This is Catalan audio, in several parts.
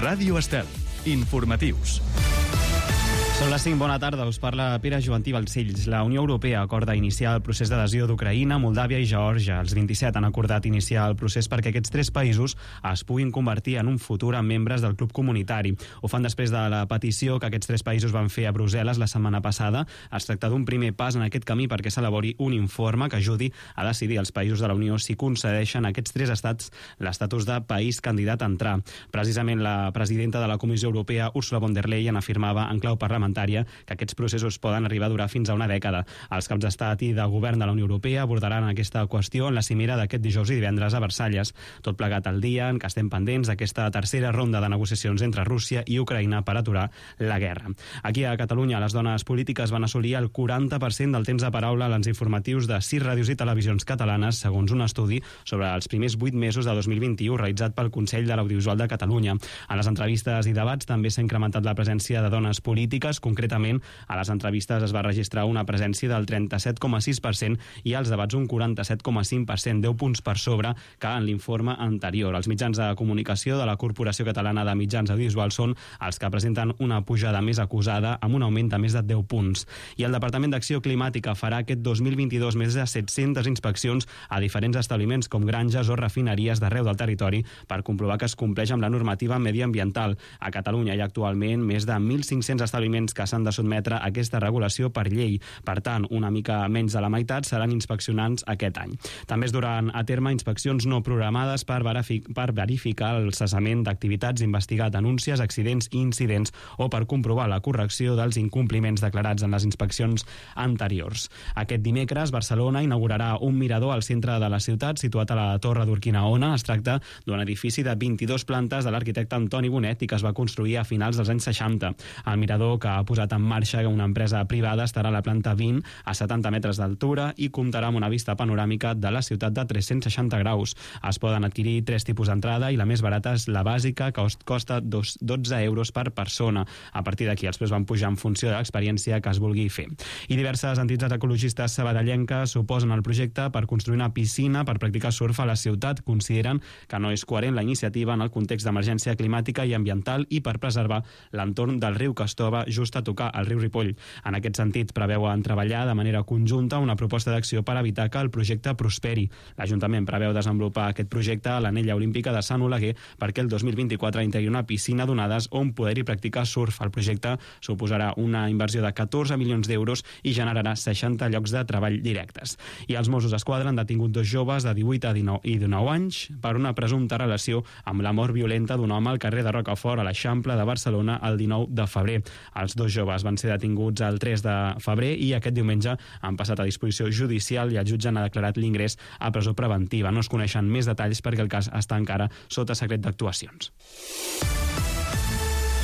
Ràdio Estel. Informatius. Són les 5, bona tarda, us parla Pere Joantí Balcells. La Unió Europea acorda iniciar el procés d'adhesió d'Ucraïna, Moldàvia i Geòrgia. Els 27 han acordat iniciar el procés perquè aquests 3 països es puguin convertir en un futur en membres del club comunitari. Ho fan després de la petició que aquests 3 països van fer a Brussel·les la setmana passada. Es tracta d'un primer pas en aquest camí perquè s'elabori un informe que ajudi a decidir als països de la Unió si concedeixen a aquests 3 estats l'estatus de país candidat a entrar. Precisament la presidenta de la Comissió Europea, Ursula von der Leyen, afirmava en clau parlamentària que aquests processos poden arribar a durar fins a una dècada. Els caps d'estat i de govern de la Unió Europea abordaran aquesta qüestió en la cimera d'aquest dijous i divendres a Versalles. Tot plegat al dia en què estem pendents d'aquesta tercera ronda de negociacions entre Rússia i Ucraïna per aturar la guerra. Aquí a Catalunya, les dones polítiques van assolir el 40% del temps de paraula en els informatius de 6 ràdios i televisions catalanes, segons un estudi sobre els primers 8 mesos de 2021 realitzat pel Consell de l'Audiovisual de Catalunya. En les entrevistes i debats també s'ha incrementat la presència de dones polítiques. Concretament, a les entrevistes es va registrar una presència del 37,6% i als debats un 47,5%, 10 punts per sobre que en l'informe anterior. Els mitjans de comunicació de la Corporació Catalana de Mitjans Audiovisuals són els que presenten una pujada més acusada amb un augment de més de 10 punts. I el Departament d'Acció Climàtica farà aquest 2022 més de 700 inspeccions a diferents establiments com granges o refineries d'arreu del territori per comprovar que es compleix amb la normativa mediambiental. A Catalunya hi ha actualment més de 1.500 establiments que s'han de sotmetre a aquesta regulació per llei. Per tant, una mica menys de la meitat seran inspeccionants aquest any. També es duran a terme inspeccions no programades per verificar el cessament d'activitats, investigar denúncies, accidents i incidents o per comprovar la correcció dels incompliments declarats en les inspeccions anteriors. Aquest dimecres, Barcelona inaugurarà un mirador al centre de la ciutat situat a la Torre d'Urquinaona. Es tracta d'un edifici de 22 plantes de l'arquitecte Antoni Bonet i que es va construir a finals dels anys 60. El mirador que ha posat en marxa una empresa privada estarà a la planta 20 a 70 metres d'altura i comptarà amb una vista panoràmica de la ciutat de 360 graus. Es poden adquirir 3 tipus d'entrada i la més barata és la bàsica, que costa 12 euros per persona. A partir d'aquí els preus van pujar en funció de l'experiència que es vulgui fer. I diverses entitats ecologistes sabadellenques s'oposen al projecte per construir una piscina per practicar surf a la ciutat. Consideren que no és coherent la iniciativa en el context d'emergència climàtica i ambiental i per preservar l'entorn del riu que es troba just a tocar el riu Ripoll. En aquest sentit, preveuen treballar de manera conjunta una proposta d'acció per evitar que el projecte prosperi. L'Ajuntament preveu desenvolupar aquest projecte a l'Anella Olímpica de Sant Oleguer perquè el 2024 integri una piscina d'onades on poder-hi practicar surf. El projecte suposarà una inversió de 14 milions d'euros i generarà 60 llocs de treball directes. I els Mossos d'Esquadra han detingut 2 joves de 18 i 19 anys per una presumpta relació amb la mort violenta d'un home al carrer de Rocafort a l'Eixample de Barcelona el 19 de febrer. Els 2 joves van ser detinguts el 3 de febrer i aquest diumenge han passat a disposició judicial i el jutge ha declarat l'ingrés a presó preventiva. No es coneixen més detalls perquè el cas està encara sota secret d'actuacions.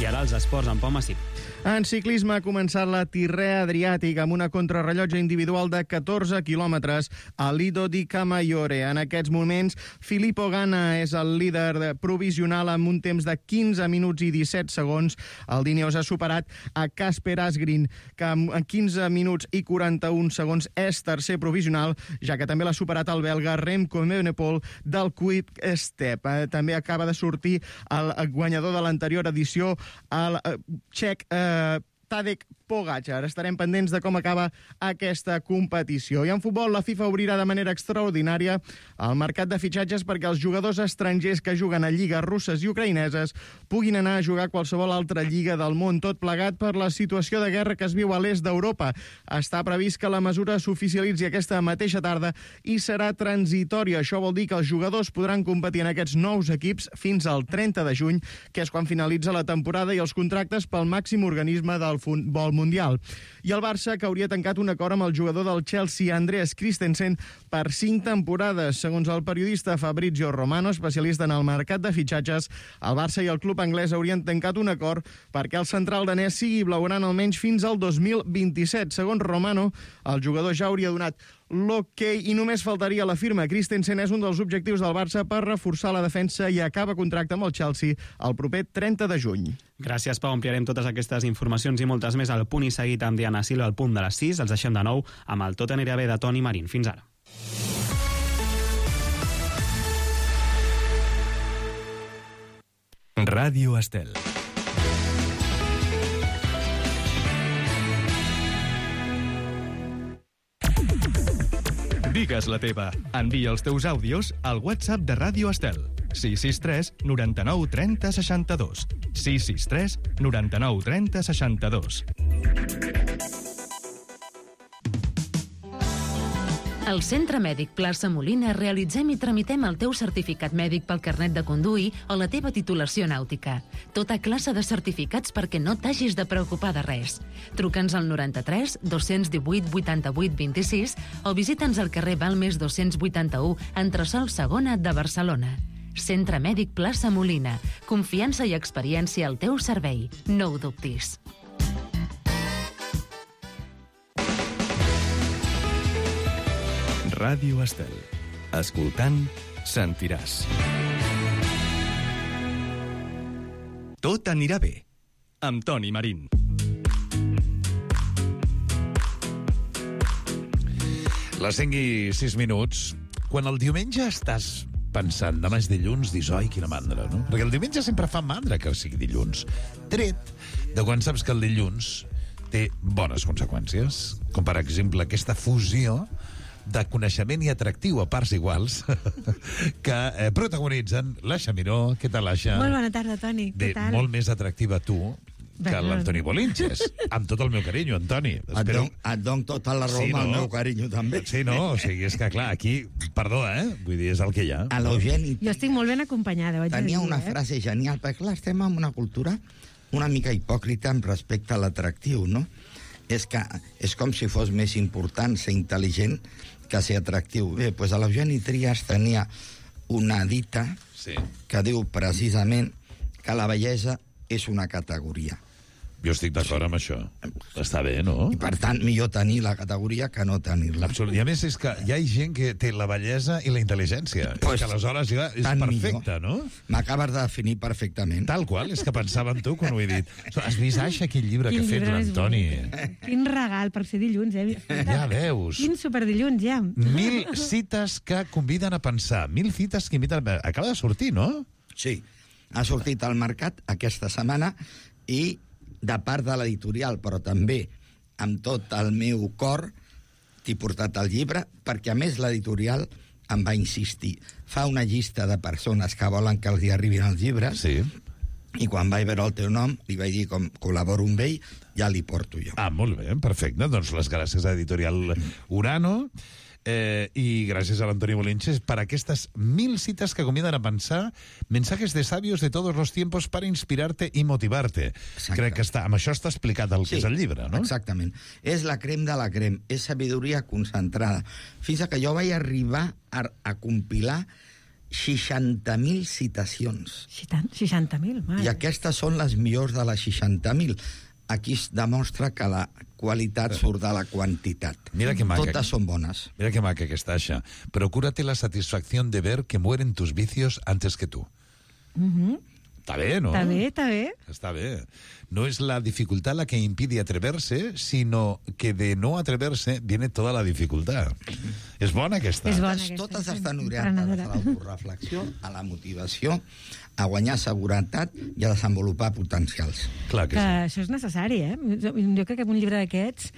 I ara els esports en Pau Massip. En ciclisme ha començat la Tirrea Adriàtic amb una contrarrellotge individual de 14 quilòmetres a Lido di Camaiore. En aquests moments, Filippo Ganna és el líder provisional amb un temps de 15 minuts i 17 segons. El Dineos ha superat a Kasper Asgreen, que en 15 minuts i 41 segons és tercer provisional, ja que també l'ha superat el belga Remco Evenepoel del Quick Step. També acaba de sortir el guanyador de l'anterior edició, el txec Tadej Pogačar. Estarem pendents de com acaba aquesta competició. I en futbol, la FIFA obrirà de manera extraordinària el mercat de fitxatges perquè els jugadors estrangers que juguen a lligues russes i ucraïneses puguin anar a jugar a qualsevol altra lliga del món, tot plegat per la situació de guerra que es viu a l'est d'Europa. Està previst que la mesura s'oficialitzi aquesta mateixa tarda i serà transitòria. Això vol dir que els jugadors podran competir en aquests nous equips fins al 30 de juny, que és quan finalitza la temporada i els contractes pel màxim organisme del futbol mundial. I el Barça, que hauria tancat un acord amb el jugador del Chelsea, Andreas Christensen, per 5 temporades. Segons el periodista Fabrizio Romano, especialista en el mercat de fitxatges, el Barça i el club anglès haurien tancat un acord perquè el central danès sigui blaugrana almenys fins al 2027. Segons Romano, el jugador ja hauria donat l'ok i només faltaria la firma. Christensen és un dels objectius del Barça per reforçar la defensa i acaba contracte amb el Chelsea el proper 30 de juny. Gràcies, Pau. Ampliarem totes aquestes informacions i moltes més al Punt i Seguit amb Diana Silva al punt de les 6. Els deixem de nou amb el Tot anirà bé de Toni Marín. Fins ara. Ràdio Estel. Digues la teva. Envia els teus àudios al WhatsApp de Ràdio Estel. 663 99 30 62. 663 99 30 62. Al Centre Mèdic Plaça Molina realitzem i tramitem el teu certificat mèdic pel carnet de conduir o la teva titulació nàutica. Tota classe de certificats perquè no t'hagis de preocupar de res. Truca'ns al 93 218 88 26 o visita'ns al carrer Balmes 281, entresòl segona de Barcelona. Centre Mèdic Plaça Molina. Confiança i experiència al teu servei. No ho dubtis. Ràdio Estel. Escoltant, sentiràs. Tot anirà bé. Amb Toni Marín. Les 5:06. Quan el diumenge estàs pensant, demà és dilluns, dius, oi, quina mandra, no? Perquè el diumenge sempre fa mandra que sigui dilluns. Tret de quan saps que el dilluns té bones conseqüències, com per exemple aquesta fusió de coneixement i atractiu a parts iguals que protagonitzen l'Aixa Miró. Què tal, Aixa? Molt bona tarda, Toni. Què tal? Molt més atractiva tu que l'Antoni Bolinches. Amb tot el meu carinyo, Antoni. Et dono tota la raó amb el meu carinyo, també. Sí, no? O sigui, és que, clar, aquí, perdó, Vull dir, és el que hi ha. A l'Eugeni Jo estic molt ben acompanyada, vaig tenia dir, una frase genial, perquè clar, estem en una cultura una mica hipòcrita amb respecte a l'atractiu, no? És que és com si fos més important ser intel·ligent que ser atractiu. Bé, doncs l'Eugeni Trias tenia una dita que diu precisament que la bellesa és una categoria. Jo estic d'acord amb això. Està bé, no? I per tant, millor tenir la categoria que no tenir-la. Absolut. I a més és que hi ha gent que té la bellesa i la intel·ligència. Pues, que aleshores ja és perfecte, no? M'acabes de definir perfectament. Tal qual, és que pensava en tu quan ho he dit. Has vist, Aixa, aquell llibre que ha fet l'Antoni? Quin regal per ser dilluns, Ja veus. Quin superdilluns, ja. 1000 cites que conviden a pensar. 1000 cites que inviten a... Acaba de sortir, no? Sí. Ha sortit al mercat aquesta setmana i de part de l'editorial, però també amb tot el meu cor t'he portat el llibre, perquè a més l'editorial em va insistir. Fa una llista de persones que volen que els hi arribin els llibres, Sí. i quan vaig veure el teu nom li vaig dir, com col·laboro amb ell, ja li porto jo. Ah, molt bé, perfecte. Doncs les gràcies a l'editorial Urano y gràcies a l'Antoni Bolinches per aquestes 1000 cites que conviden a pensar, mensajes de sabios de todos los tiempos para inspirarte y motivarte. Exacte. Crec que amb això està explicat el que és el llibre, no? Exactament. És la crem de la crem, és sabidoria concentrada. Fins que jo vaig arribar a compilar 60.000 citacions. 60.000, mare. I aquestes són les millors de les 60.000. Aquí es demostra que la qualitat surt de la quantitat. Mira que maca. Totes són bones. Mira que maca que está, Aixa. Procúrate la satisfacción de ver que mueren tus vicios antes que tú. Está bé, ¿no? Està bé, està bé. Está bé. No es la dificultad la que impide atreverse, sino que de no atreverse viene toda la dificultad. És bona aquesta. És bona aquesta. Totes estan orientades a l'autoreflexió, a la motivació, a guanyar seguretat i a desenvolupar potencials. Clar que Que sí. això és necessari, Jo crec que un llibre d'aquests,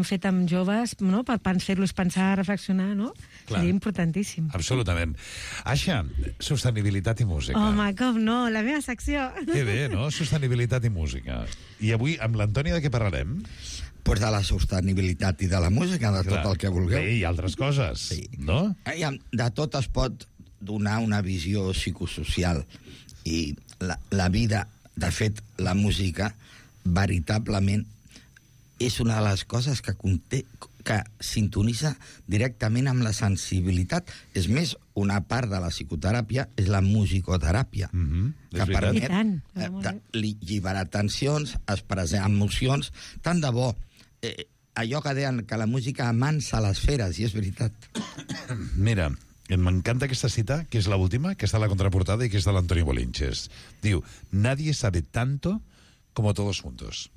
fet amb joves, no? Per fer-los pensar, reflexionar, no? Clar. Seria importantíssim. Absolutament. Aixa, sostenibilitat i música. Home, com no, la meva secció. Que bé, no? Sostenibilitat i música. I avui, amb l'Antoni, de què parlarem? Pues de la sostenibilitat i de la música, de tot el que vulgueu. Sí, i altres coses, Sí. no? De tot es pot donar una visió psicosocial. I la vida, de fet, la música, veritablement, és una de les coses que conté, que sintonitza directament amb la sensibilitat. És més, una part de la psicoteràpia és la musicoteràpia, És que veritat. I tant. alliberar tensions, expressar emocions. Tant de bo, allò que deien que la música amansa les feres, i és veritat. Mira, m'encanta aquesta cita, que és l'última, que està a la contraportada i que és de l'Antoni Bolinches. Diu, nadie sabe tanto como todos juntos.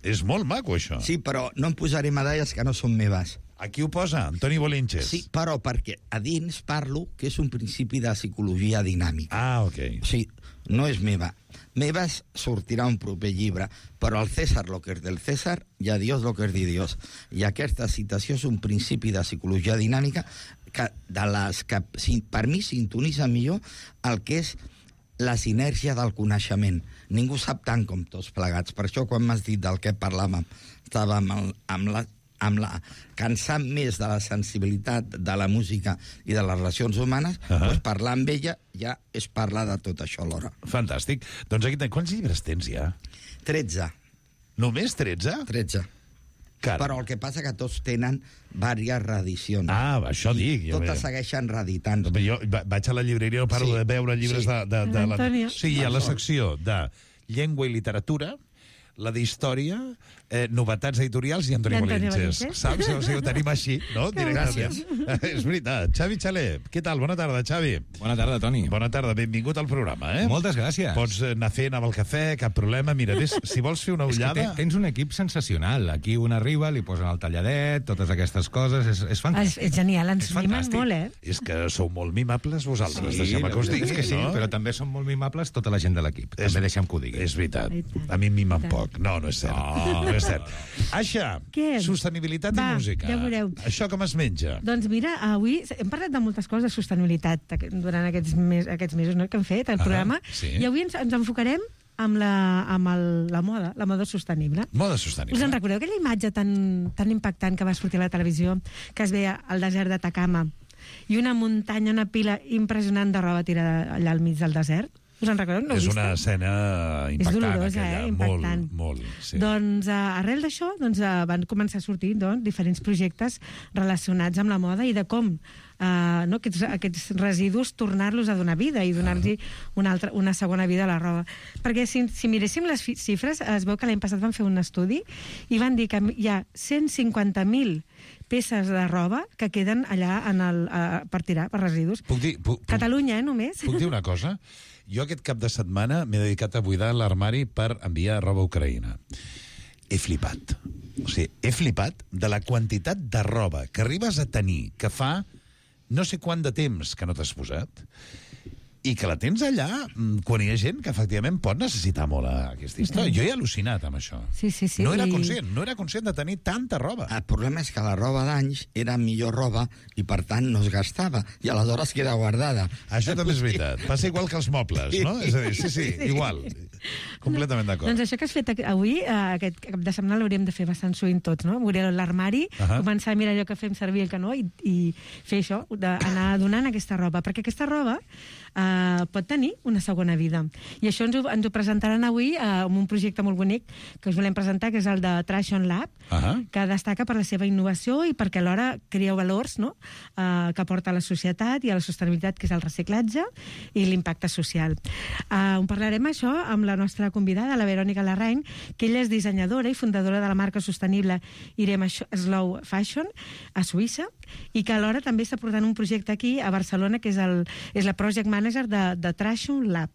És molt maco, això. Sí, però no em posaré medalles que no són meves. Aquí ho posa, Antoni Bolinches. Sí, però perquè a dins parlo que és un principi de psicologia dinàmica. Ah, ok. O sigui, no és meva. Meva sortirà un proper llibre, però al César lo que és del César i a Dios lo que és de Dios. I aquesta citació és un principi de psicologia dinàmica que per mi sintonitza millor el que és la sinergia del coneixement. Ningú sap tant com tots plegats. Per això, quan m'has dit del què parlàvem, estàvem cansant més de la sensibilitat de la música i de les relacions humanes, doncs parlar amb ella ja és parlar de tot això alhora. Fantàstic. Doncs aquí, quants llibres tens ja? 13. Només 13? 13. Caram. Però el que passa que tots tenen diverses reedicions. Ah, això dic. Totes segueixen reeditant. Jo vaig a la llibreria, no paro de veure llibres de Antonio. Sí, hi ha la secció de llengua i literatura, la d'història, novetats editorials i Antoni Bolinches. Saps? O sigui, ho tenim així, no? Gràcies. És veritat. Xavi Xaler, què tal? Bona tarda, Xavi. Bona tarda, Toni. Bona tarda, benvingut al programa, eh? Moltes gràcies. Pots anar fent amb el cafè, cap problema. Mira, si vols fer una ullada... Tens un equip sensacional. Aquí un arriba, li posen el talladet, totes aquestes coses. És fantàstic. És genial, ens mimen molt, eh? És que sou molt mimables vosaltres, Sí, deixem que us digui, que sí, no? però també són molt mimables tota la gent de l'equip. També deixem que ho digui. És veritat. A mi em mimen poc. No és cert. No és cert. Aixa, Què? Sostenibilitat i música. Ja veureu. Això com es menja? Doncs mira, avui hem parlat de moltes coses de sostenibilitat durant aquests mesos, no?, que hem fet el programa, sí. I avui ens enfocarem amb la moda sostenible. Moda sostenible. Us en recordeu aquella imatge tan impactant que va sortir a la televisió, que es veia al desert d'Atacama i una muntanya, una pila impressionant de roba tirada allà al mig del desert? Us en recordeu? No és una escena impactant. És dolorosa, aquella. Impactant. Molt, sí. Doncs arrel d'això van començar a sortir diferents projectes relacionats amb la moda i de com aquests residus tornar-los a donar vida i donar-los una segona vida a la roba. Perquè si miréssim les xifres, es veu que l'any passat van fer un estudi i van dir que hi ha 150.000 peces de roba que queden allà per tirar, per residus. Catalunya, només. Puc dir una cosa? Jo aquest cap de setmana m'he dedicat a buidar l'armari per enviar roba a Ucraïna. He flipat. O sigui, he flipat de la quantitat de roba que arribes a tenir, que fa no sé quant de temps que no t'has posat, i que la tens allà quan hi ha gent que efectivament pot necessitar molt aquesta història. Jo he al·lucinat amb això. Sí. No era conscient de tenir tanta roba. El problema és que la roba d'anys era millor roba i, per tant, no es gastava. I aleshores queda guardada. Això també és veritat. Passa igual que els mobles, no? És a dir, sí, igual. Completament d'acord. Doncs això que has fet avui, aquest cap de setmana l'hauríem de fer bastant sovint tots, no? Obrir l'armari, començar a mirar allò que fem servir el que no, i fer això, d'anar donant aquesta roba. Perquè aquesta roba pot tenir una segona vida. I això ens ho presentaran avui amb un projecte molt bonic que us volem presentar, que és el de Traction Lab, que destaca per la seva innovació i perquè alhora crea valors, no?, que aporta a la societat i a la sostenibilitat, que és el reciclatge i l'impacte social. On parlarem això amb la nostra convidada, la Verònica Larraín, que ella és dissenyadora i fundadora de la marca sostenible Irem Slow Fashion a Suïssa, i que alhora també està portant un projecte aquí a Barcelona, que és la Project Manager de Traction Lab.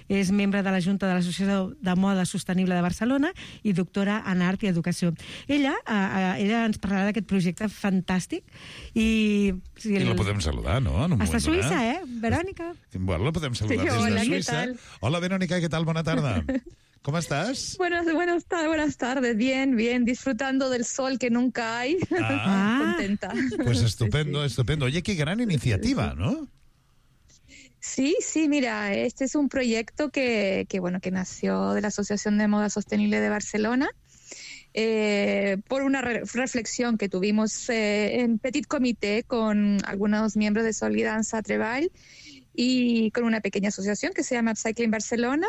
És membre de la Junta de l'Associació de Moda Sostenible de Barcelona i doctora en Art i Educació. Ella ens parlarà d'aquest projecte fantàstic i la podem saludar, no? Està a Suïssa, Verònica? Bueno, la podem saludar Sí, hola, des de ¿qué Suïssa. tal? Hola, Verónica, ¿qué tal? Buena tarde. ¿Cómo estás? Buenas tardes, bien, disfrutando del sol que nunca hay. Contenta. Pues estupendo, estupendo. Oye, qué gran iniciativa, ¿no? Sí, mira, este es un proyecto que nació de la Asociación de Moda Sostenible de Barcelona por una reflexión que tuvimos en Petit Comité con algunos miembros de Solidanza Treball y con una pequeña asociación que se llama Upcycling Barcelona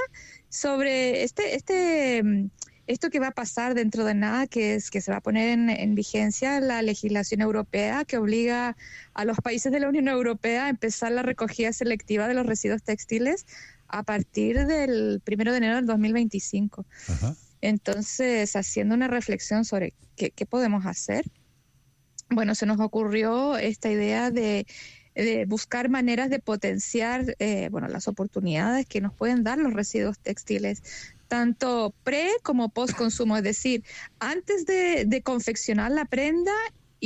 sobre esto que va a pasar dentro de nada, que es que se va a poner en vigencia la legislación europea que obliga a los países de la Unión Europea a empezar la recogida selectiva de los residuos textiles a partir del 1 de enero del 2025. Ajá. Entonces, haciendo una reflexión sobre qué podemos hacer, bueno, se nos ocurrió esta idea de buscar maneras de potenciar las oportunidades que nos pueden dar los residuos textiles, tanto pre como post consumo, es decir, antes de confeccionar la prenda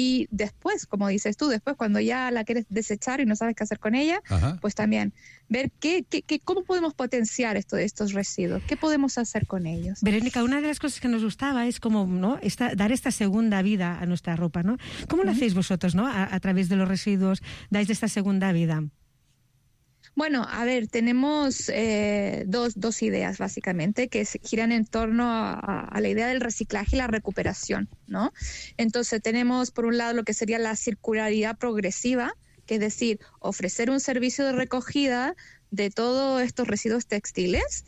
Y después, como dices tú, después cuando ya la quieres desechar y no sabes qué hacer con ella, pues también ver cómo podemos potenciar estos residuos, qué podemos hacer con ellos. Verónica, una de las cosas que nos gustaba es como, ¿no?, dar esta segunda vida a nuestra ropa, ¿no? ¿Cómo lo hacéis vosotros, ¿no? A través de los residuos, dais esta segunda vida. Bueno, a ver, tenemos dos ideas básicamente que giran en torno a la idea del reciclaje y la recuperación, ¿no? Entonces tenemos por un lado lo que sería la circularidad progresiva, que es decir, ofrecer un servicio de recogida de todos estos residuos textiles,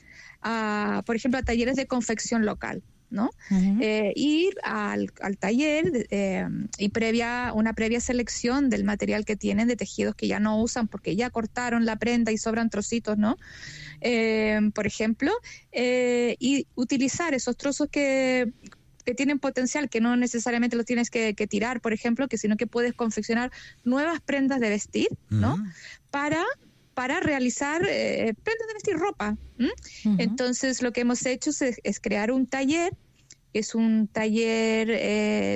por ejemplo, a talleres de confección local, ¿no? Ir al taller y una previa selección del material que tienen, de tejidos que ya no usan porque ya cortaron la prenda y sobran trocitos, ¿no? Por ejemplo, y utilizar esos trozos que tienen potencial, que no necesariamente los tienes que tirar, por ejemplo, sino que puedes confeccionar nuevas prendas de vestir, ¿no? Para realizar prendas de vestir, ropa. Entonces, lo que hemos hecho es crear un taller, es un taller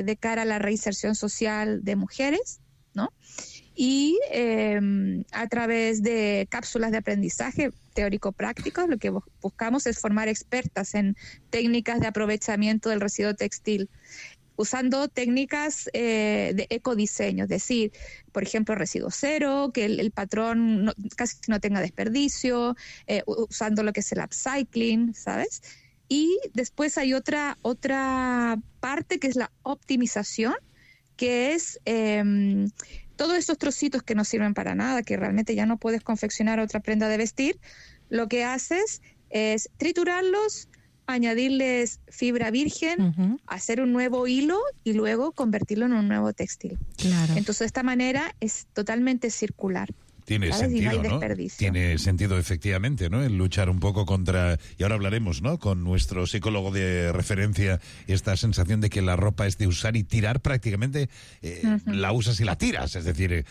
de cara a la reinserción social de mujeres, ¿no? Y a través de cápsulas de aprendizaje teórico-práctico, lo que buscamos es formar expertas en técnicas de aprovechamiento del residuo textil, usando técnicas de ecodiseño, es decir, por ejemplo, residuo cero, que el patrón casi no tenga desperdicio, usando lo que es el upcycling, ¿sabes? Y después hay otra parte que es la optimización, que es todos estos trocitos que no sirven para nada, que realmente ya no puedes confeccionar otra prenda de vestir, lo que haces es triturarlos, añadirles fibra virgen, hacer un nuevo hilo y luego convertirlo en un nuevo textil. Claro. Entonces, de esta manera es totalmente circular. Tiene sentido, ¿no? Tiene sentido, efectivamente, ¿no? El luchar un poco contra... Y ahora hablaremos, ¿no?, con nuestro psicólogo de referencia, esta sensación de que la ropa es de usar y tirar prácticamente, la usas y la tiras. Es decir,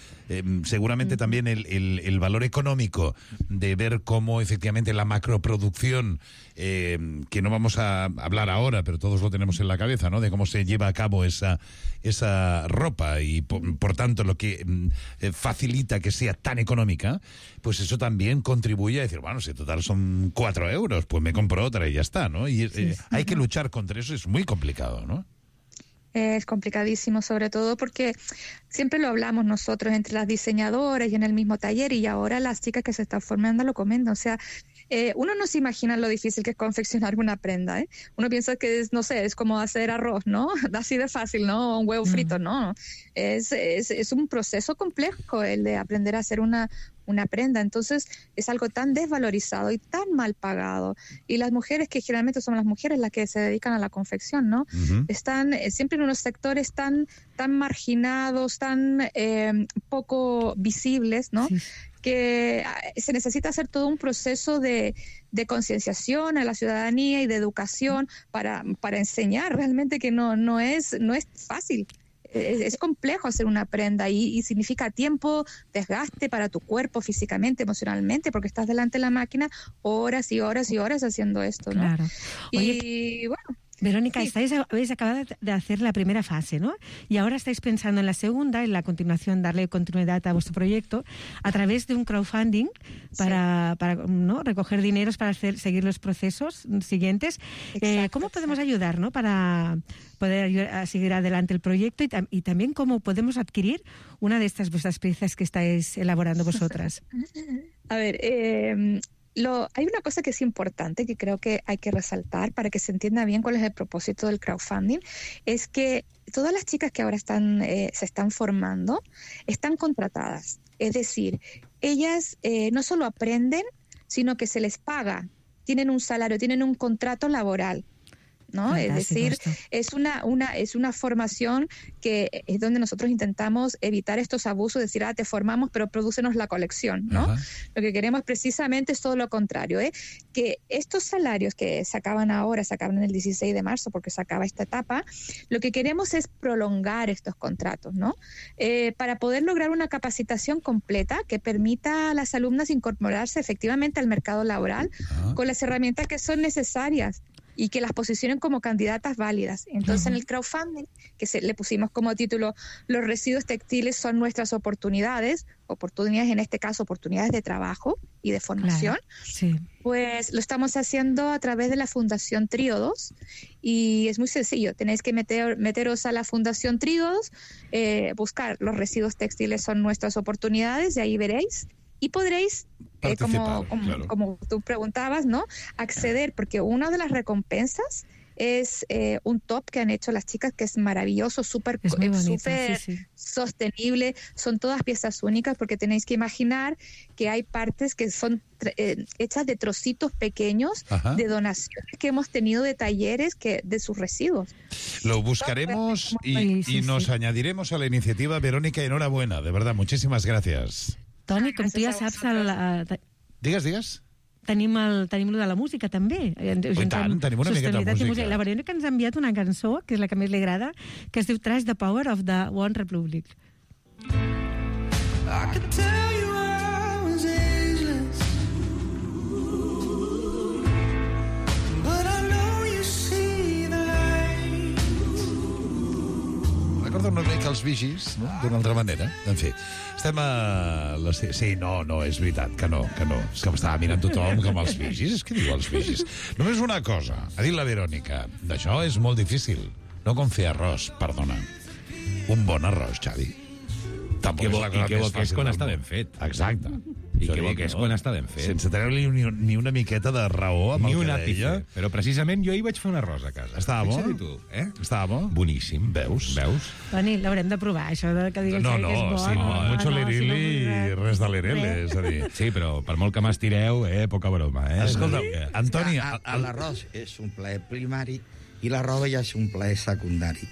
seguramente también el valor económico de ver cómo efectivamente la macroproducción, que no vamos a hablar ahora, pero todos lo tenemos en la cabeza, ¿no?, de cómo se lleva a cabo esa ropa y por tanto lo que facilita que sea tan económica, pues eso también contribuye a decir, bueno, si total son 4 euros, pues me compro otra y ya está, ¿no? Y hay que luchar contra eso, es muy complicado, ¿no? Es complicadísimo, sobre todo porque siempre lo hablamos nosotros entre las diseñadoras y en el mismo taller, y ahora las chicas que se están formando lo comentan. O sea, uno no se imagina lo difícil que es confeccionar una prenda, ¿eh? Uno piensa que es, no sé, es como hacer arroz, ¿no? Así de fácil, ¿no? Un huevo frito, ¿no? Es un proceso complejo el de aprender a hacer una prenda. Entonces es algo tan desvalorizado y tan mal pagado, y las mujeres, que generalmente son las mujeres las que se dedican a la confección, ¿no? Están siempre en unos sectores tan marginados, tan poco visibles, ¿no? Sí. Que se necesita hacer todo un proceso de concienciación a la ciudadanía y de educación para enseñar realmente que no es fácil. Es complejo hacer una prenda y significa tiempo, desgaste para tu cuerpo físicamente, emocionalmente, porque estás delante de la máquina horas y horas y horas haciendo esto, ¿no? Claro. Oye, y bueno... Verónica, sí. habéis acabado de hacer la primera fase, ¿no? Y ahora estáis pensando en la segunda, en la continuación, darle continuidad a vuestro proyecto a través de un crowdfunding para ¿no?, recoger dineros para seguir los procesos siguientes. ¿Cómo podemos ayudar, ¿no?, para poder ayudar a seguir adelante el proyecto y también cómo podemos adquirir una de estas vuestras piezas que estáis elaborando vosotras? A ver, hay una cosa que es importante, que creo que hay que resaltar para que se entienda bien cuál es el propósito del crowdfunding, es que todas las chicas que ahora se están formando están contratadas. Es decir, ellas no solo aprenden, sino que se les paga, tienen un salario, tienen un contrato laboral, ¿no? Fantástico. Es decir, es una formación que es donde nosotros intentamos evitar estos abusos, decir, te formamos, pero prodúcenos la colección, ¿no? Ajá. Lo que queremos precisamente es todo lo contrario, que estos salarios que se acaban en el 16 de marzo, porque se acaba esta etapa, lo que queremos es prolongar estos contratos, ¿no? Para poder lograr una capacitación completa que permita a las alumnas incorporarse efectivamente al mercado laboral con las herramientas que son necesarias y que las posicionen como candidatas válidas. Entonces, en el crowdfunding, le pusimos como título Los residuos textiles son nuestras oportunidades en este caso, oportunidades de trabajo y de formación, pues lo estamos haciendo a través de la Fundación Tríodos, y es muy sencillo, tenéis que meteros a la Fundación Tríodos, buscar Los residuos textiles son nuestras oportunidades, y ahí veréis, y podréis, como tú preguntabas, ¿no?, acceder, porque una de las recompensas es un top que han hecho las chicas, que es maravilloso, súper sostenible, son todas piezas únicas, porque tenéis que imaginar que hay partes que son hechas de trocitos pequeños de donaciones que hemos tenido de talleres de sus residuos. Lo buscaremos y nos añadiremos a la iniciativa. Verónica, enhorabuena, de verdad, muchísimas gracias. Toni, com tu ja saps... Digues. Tenim lo de la música, també. I tant, tenim una miqueta de música. La Verónica ens ha enviat una cançó, que és la que més li agrada, que es diu Trash the Power of the One Republic. I could tell you I was ageless, but I know you see the light. Recorda una mica els Vigis, no?, d'una altra manera. En fi, estem a... Sí, no, és veritat, que no. És que m'estava mirant tothom com els Vigis. És que diu els Vigis. Només una cosa, ha dit la Verònica, d'això és molt difícil. No com fer arròs, perdona. Un bon arròs, Xavi. I que bo que és quan està ben fet. Exacte. I que bo que és quan està ben fet. Sense treure-li ni una miqueta de raó amb el que deia. Però precisament jo ahir vaig fer un arròs a casa. Estava bo? Fixa-t'hi tu, Estava bo? Boníssim. Veus? Toni, l'haurem de provar, això de que digui el Xavi que és bo. Sí, mucho lerili i res de lerele, és a dir. Sí, però per molt que m'estireu, poca broma, Escolta, Antoni... L'arròs és un plaer primari i la roba ja és un plaer secundari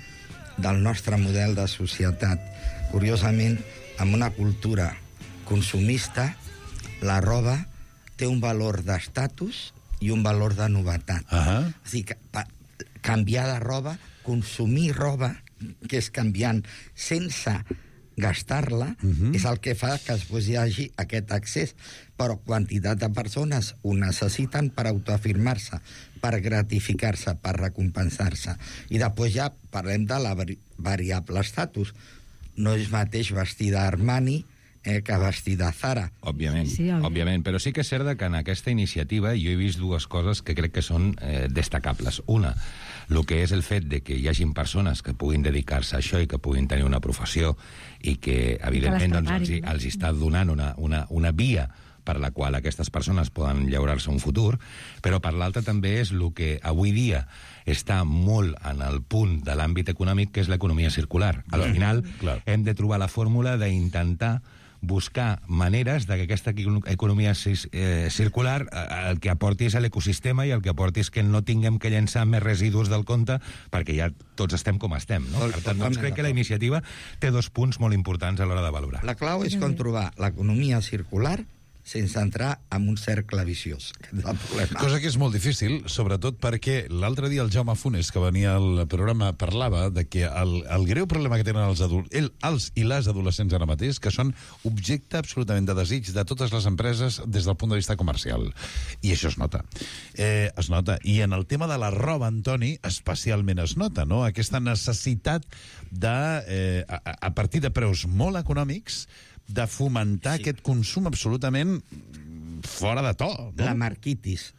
del nostre model de societat. Curiosament, amb una cultura consumista, la roba té un valor d'estatus i un valor de novetat. És a dir, canviar de roba, consumir roba, que és canviant sense gastar-la, és el que fa que després hi hagi aquest accés. Però quantitat de persones ho necessiten per autoafirmar-se, per gratificar-se, per recompensar-se. I després ja parlem de la variable estatus. No és mateix vestir d'Armani que vestir de Zara. Òbviament, però sí que és cert que en aquesta iniciativa jo he vist dues coses que crec que són destacables. Una, el que és el fet de que hi hagin persones que puguin dedicar-se a això i que puguin tenir una professió i que, evidentment, els està donant una via per la qual aquestes persones poden llaurar-se un futur, però per l'altra també és el que avui dia està molt en el punt de l'àmbit econòmic, que és l'economia circular. Al final hem de trobar la fórmula d'intentar buscar maneres de que aquesta economia circular el que aporti és a l'ecosistema i el que aporti és que no tinguem que llençar més residus del compte perquè ja tots estem com estem, no? Per tant, doncs crec que la iniciativa té dos punts molt importants a l'hora de valorar. La clau és com trobar l'economia circular sense entrar en un cercle viciós. Cosa que és molt difícil, sobretot perquè l'altre dia el Jaume Funes, que venia al programa, parlava de que el greu problema que tenen els i les adolescents ara mateix, que són objecte absolutament de desig de totes les empreses des del punt de vista comercial. I això es nota. Es nota. I en el tema de la roba, Antoni, especialment es nota, no? Aquesta necessitat de, a partir de preus molt econòmics, de fomentar aquest consum absolutament fora de to. No? La marquitis.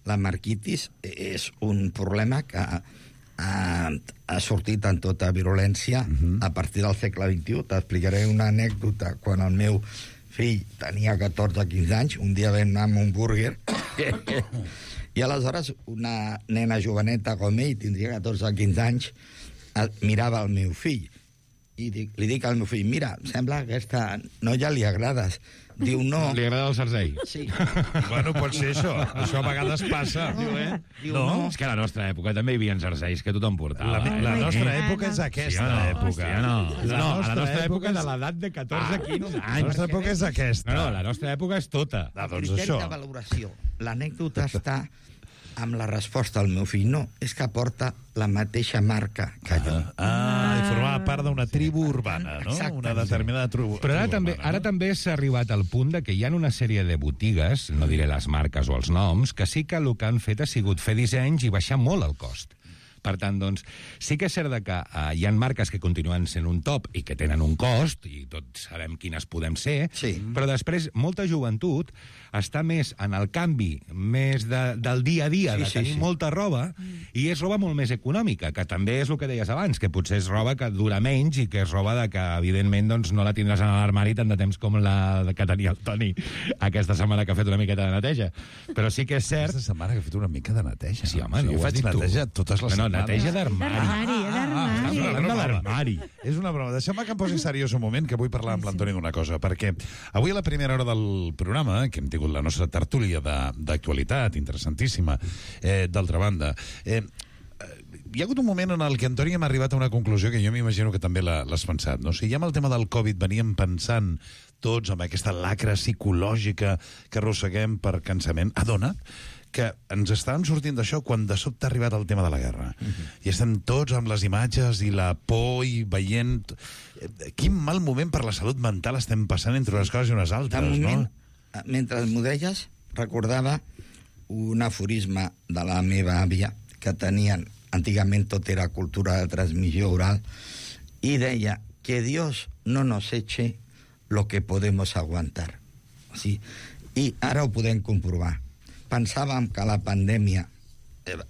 La marquitis és un problema que ha sortit en tota virulència a partir del segle XXI. T'explicaré una anècdota. Quan el meu fill tenia 14 o 15 anys, un dia vam anar amb un burger i aleshores una nena joveneta com ell, tindria 14 o 15 anys, mirava el meu fill i li dic al meu fill, mira, sembla que aquesta noia li agrades. Diu, no. Li agrada el jersei? Sí. Bueno, pot ser això. Això a vegades passa. Diu, no. És que a la nostra època també hi havia jerseis que tothom portava. La nostra època és aquesta època. A la nostra època de l'edat de 14-15 anys. La nostra època és aquesta. No, la nostra època és tota. El criteri de valoració. L'anècdota està amb la resposta al meu fill, no, és que porta la mateixa marca que jo. I formava part d'una tribu urbana, no? Exacte. Una determinada tribu Però urbana, ara també s'ha arribat al punt de que hi ha una sèrie de botigues, no diré les marques o els noms, que sí que el que han fet ha sigut fer dissenys i baixar molt el cost. Per tant, doncs, sí que és cert que hi ha marques que continuen sent un top i que tenen un cost, i tots sabem quines podem ser, però després molta joventut està més en el canvi, més del dia a dia, de tenir molta roba, i és roba molt més econòmica, que també és el que deies abans, que potser és roba que dura menys i que és roba que, evidentment, doncs, no la tindràs en l'armari tant de temps com la que tenia el Toni aquesta setmana, que ha fet una miqueta de neteja. Però sí que és cert... Aquesta setmana que ha fet una mica de neteja. Sí, home, no jo ho has faig dit tu. neteja totes les setmanes. Neteja d'armari. D'armari. És una broma. Deixeu-me que em posi seriós un moment, que vull parlar amb l'Antoni d'una cosa, perquè avui a la primera hora del programa, que hem tingut la nostra tertúlia d'actualitat, interessantíssima, d'altra banda, hi ha hagut un moment en el que, Antoni, hem arribat a una conclusió que jo m'imagino que també l'has pensat, no? O sigui, ja amb el tema del Covid veníem pensant tots amb aquesta lacra psicològica que arrosseguem per cansament. Ha donat que ens estàvem sortint d'això quan de sobte ha arribat el tema de la guerra. I estem tots amb les imatges i la por i veient... Quin mal moment per la salut mental estem passant entre unes coses i unes altres, de moment, no? Mentre m'ho deies, recordava un aforisme de la meva àvia, que tenien, antigament tot era cultura de transmissió oral, i deia que Dios no nos eche lo que podemos aguantar. Sí? I ara ho podem comprovar. Pensàvem que la pandèmia,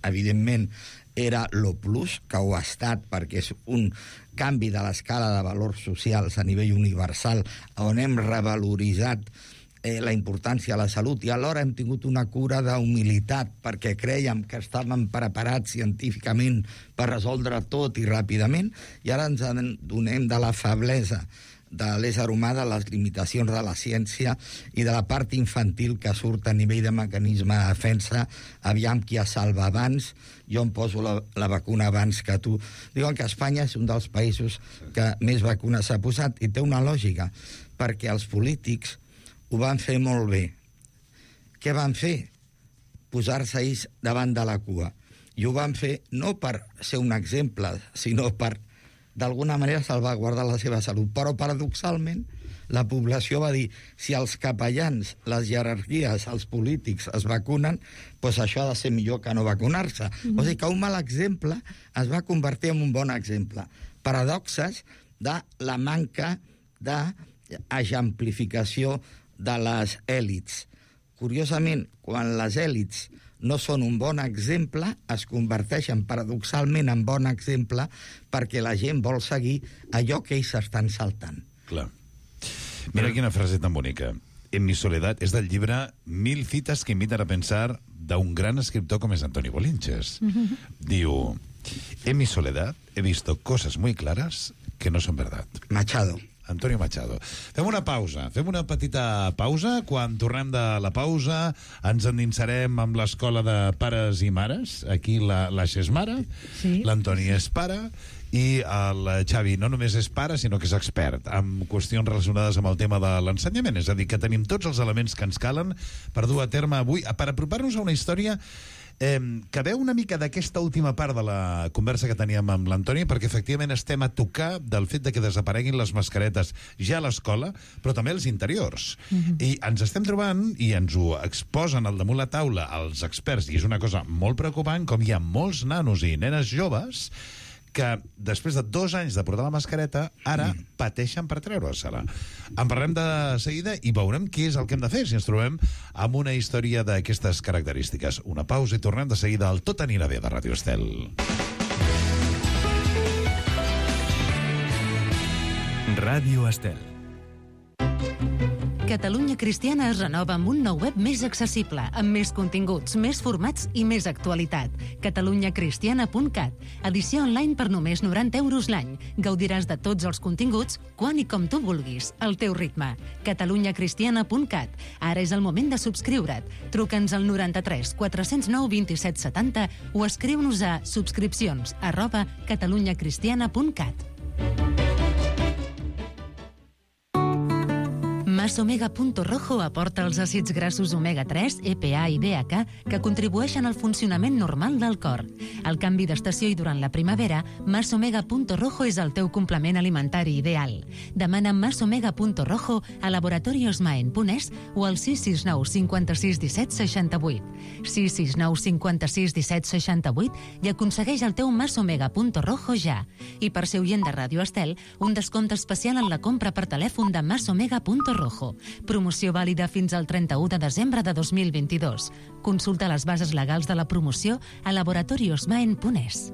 evidentment, era lo plus, que ho ha estat, perquè és un canvi de l'escala de valors socials a nivell universal, on hem revaloritzat la importància de la salut, i alhora hem tingut una cura d'humilitat, perquè crèiem que estàvem preparats científicament per resoldre tot i ràpidament, i ara ens adonem de la feblesa de l'ésser humà, de les limitacions de la ciència i de la part infantil que surt a nivell de mecanisme de defensa. Aviam qui es salva abans, jo em poso la vacuna abans que tu. Diuen que Espanya és un dels països que més vacunes s'ha posat, i té una lògica, perquè els polítics ho van fer molt bé. Què van fer? Posar-se ells davant de la cua. I ho van fer no per ser un exemple, sinó per d'alguna manera salvaguardar la seva salut. Però, paradoxalment, la població va dir, si els capellans, les jerarquies, els polítics es vacunen, doncs això ha de ser millor que no vacunar-se. O sigui que un mal exemple es va convertir en un bon exemple. Paradoxes de la manca d'exemplificació de les èlits. Curiosament, quan les èlits no són un bon exemple, es converteixen paradoxalment en bon exemple perquè la gent vol seguir allò que ells estan saltant. Clar. Mira quina frase tan bonica. En mi soledad és del llibre 1000 citas que invitan a pensar d'un gran escriptor com és Antoni Bolinches. Diu, en mi soledad he visto cosas muy claras que no son verdad. Machado. Antonio Machado. Fem una pausa, fem una petita pausa. Quan tornem de la pausa ens endinsarem amb l'escola de pares i mares. Aquí la és mare, sí. L'Antoni és pare, i el Xavi no només és pare, sinó que és expert en qüestions relacionades amb el tema de l'ensenyament. És a dir, que tenim tots els elements que ens calen per dur a terme avui, per apropar-nos a una història que veu una mica d'aquesta última part de la conversa que teníem amb l'Antoni, perquè efectivament estem a tocar del fet de que desapareguin les mascaretes ja a l'escola, però també als interiors. I ens estem trobant, i ens ho exposen al damunt la taula els experts, i és una cosa molt preocupant, com hi ha molts nanos i nenes joves que després de 2 anys de portar la mascareta ara pateixen per treure-se-la. En parlem de seguida i veurem què és el que hem de fer si ens trobem amb una història d'aquestes característiques. Una pausa i tornem de seguida al Tot anirà bé de Ràdio Estel. Ràdio Estel. Catalunya Cristiana es renova amb un nou web més accessible, amb més continguts, més formats i més actualitat. catalunyacristiana.cat. Edició online per només 90 € l'any. Gaudiràs de tots els continguts, quan i com tu vulguis, al teu ritme. catalunyacristiana.cat. Ara és el moment de subscriure't. Truca'ns al 93 409 27 70 o escriu-nos a subscripcions@catalunyacristiana.cat. Masomega.rojo aporta els àcids grassos omega-3, EPA i DHA que contribueixen al funcionament normal del cor. Al canvi d'estació i durant la primavera, Masomega.rojo és el teu complement alimentari ideal. Demana Masomega.rojo a laboratoriosmaen.es o al 669 56 17 68. 669 56 17 68 i aconsegueix el teu Masomega.rojo ja. I per ser oient de Ràdio Estel, un descompte especial en la compra per telèfon de Masomega.rojo. Promoció vàlida fins al 31 de desembre de 2022. Consulta les bases legals de la promoció a laboratoriosmaen.es.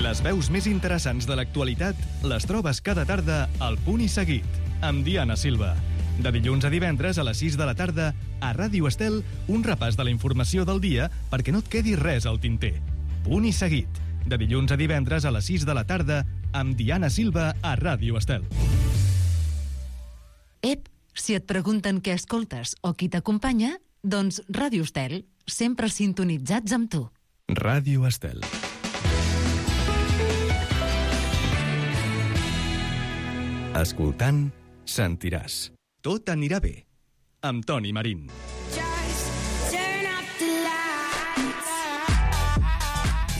Les veus més interessants de l'actualitat les trobes cada tarda al Punt i Seguit, amb Diana Silva. De dilluns a divendres a les 6 de la tarda, a Ràdio Estel, un repàs de la informació del dia perquè no et quedi res al tinter. Punt i Seguit, de dilluns a divendres a les 6 de la tarda, amb Diana Silva a Ràdio Estel. Ep, si et pregunten què escoltes o qui t'acompanya, doncs Ràdio Estel, sempre sintonitzats amb tu. Ràdio Estel. Escoltant, sentiràs. Tot anirà bé. Amb Toni Marín.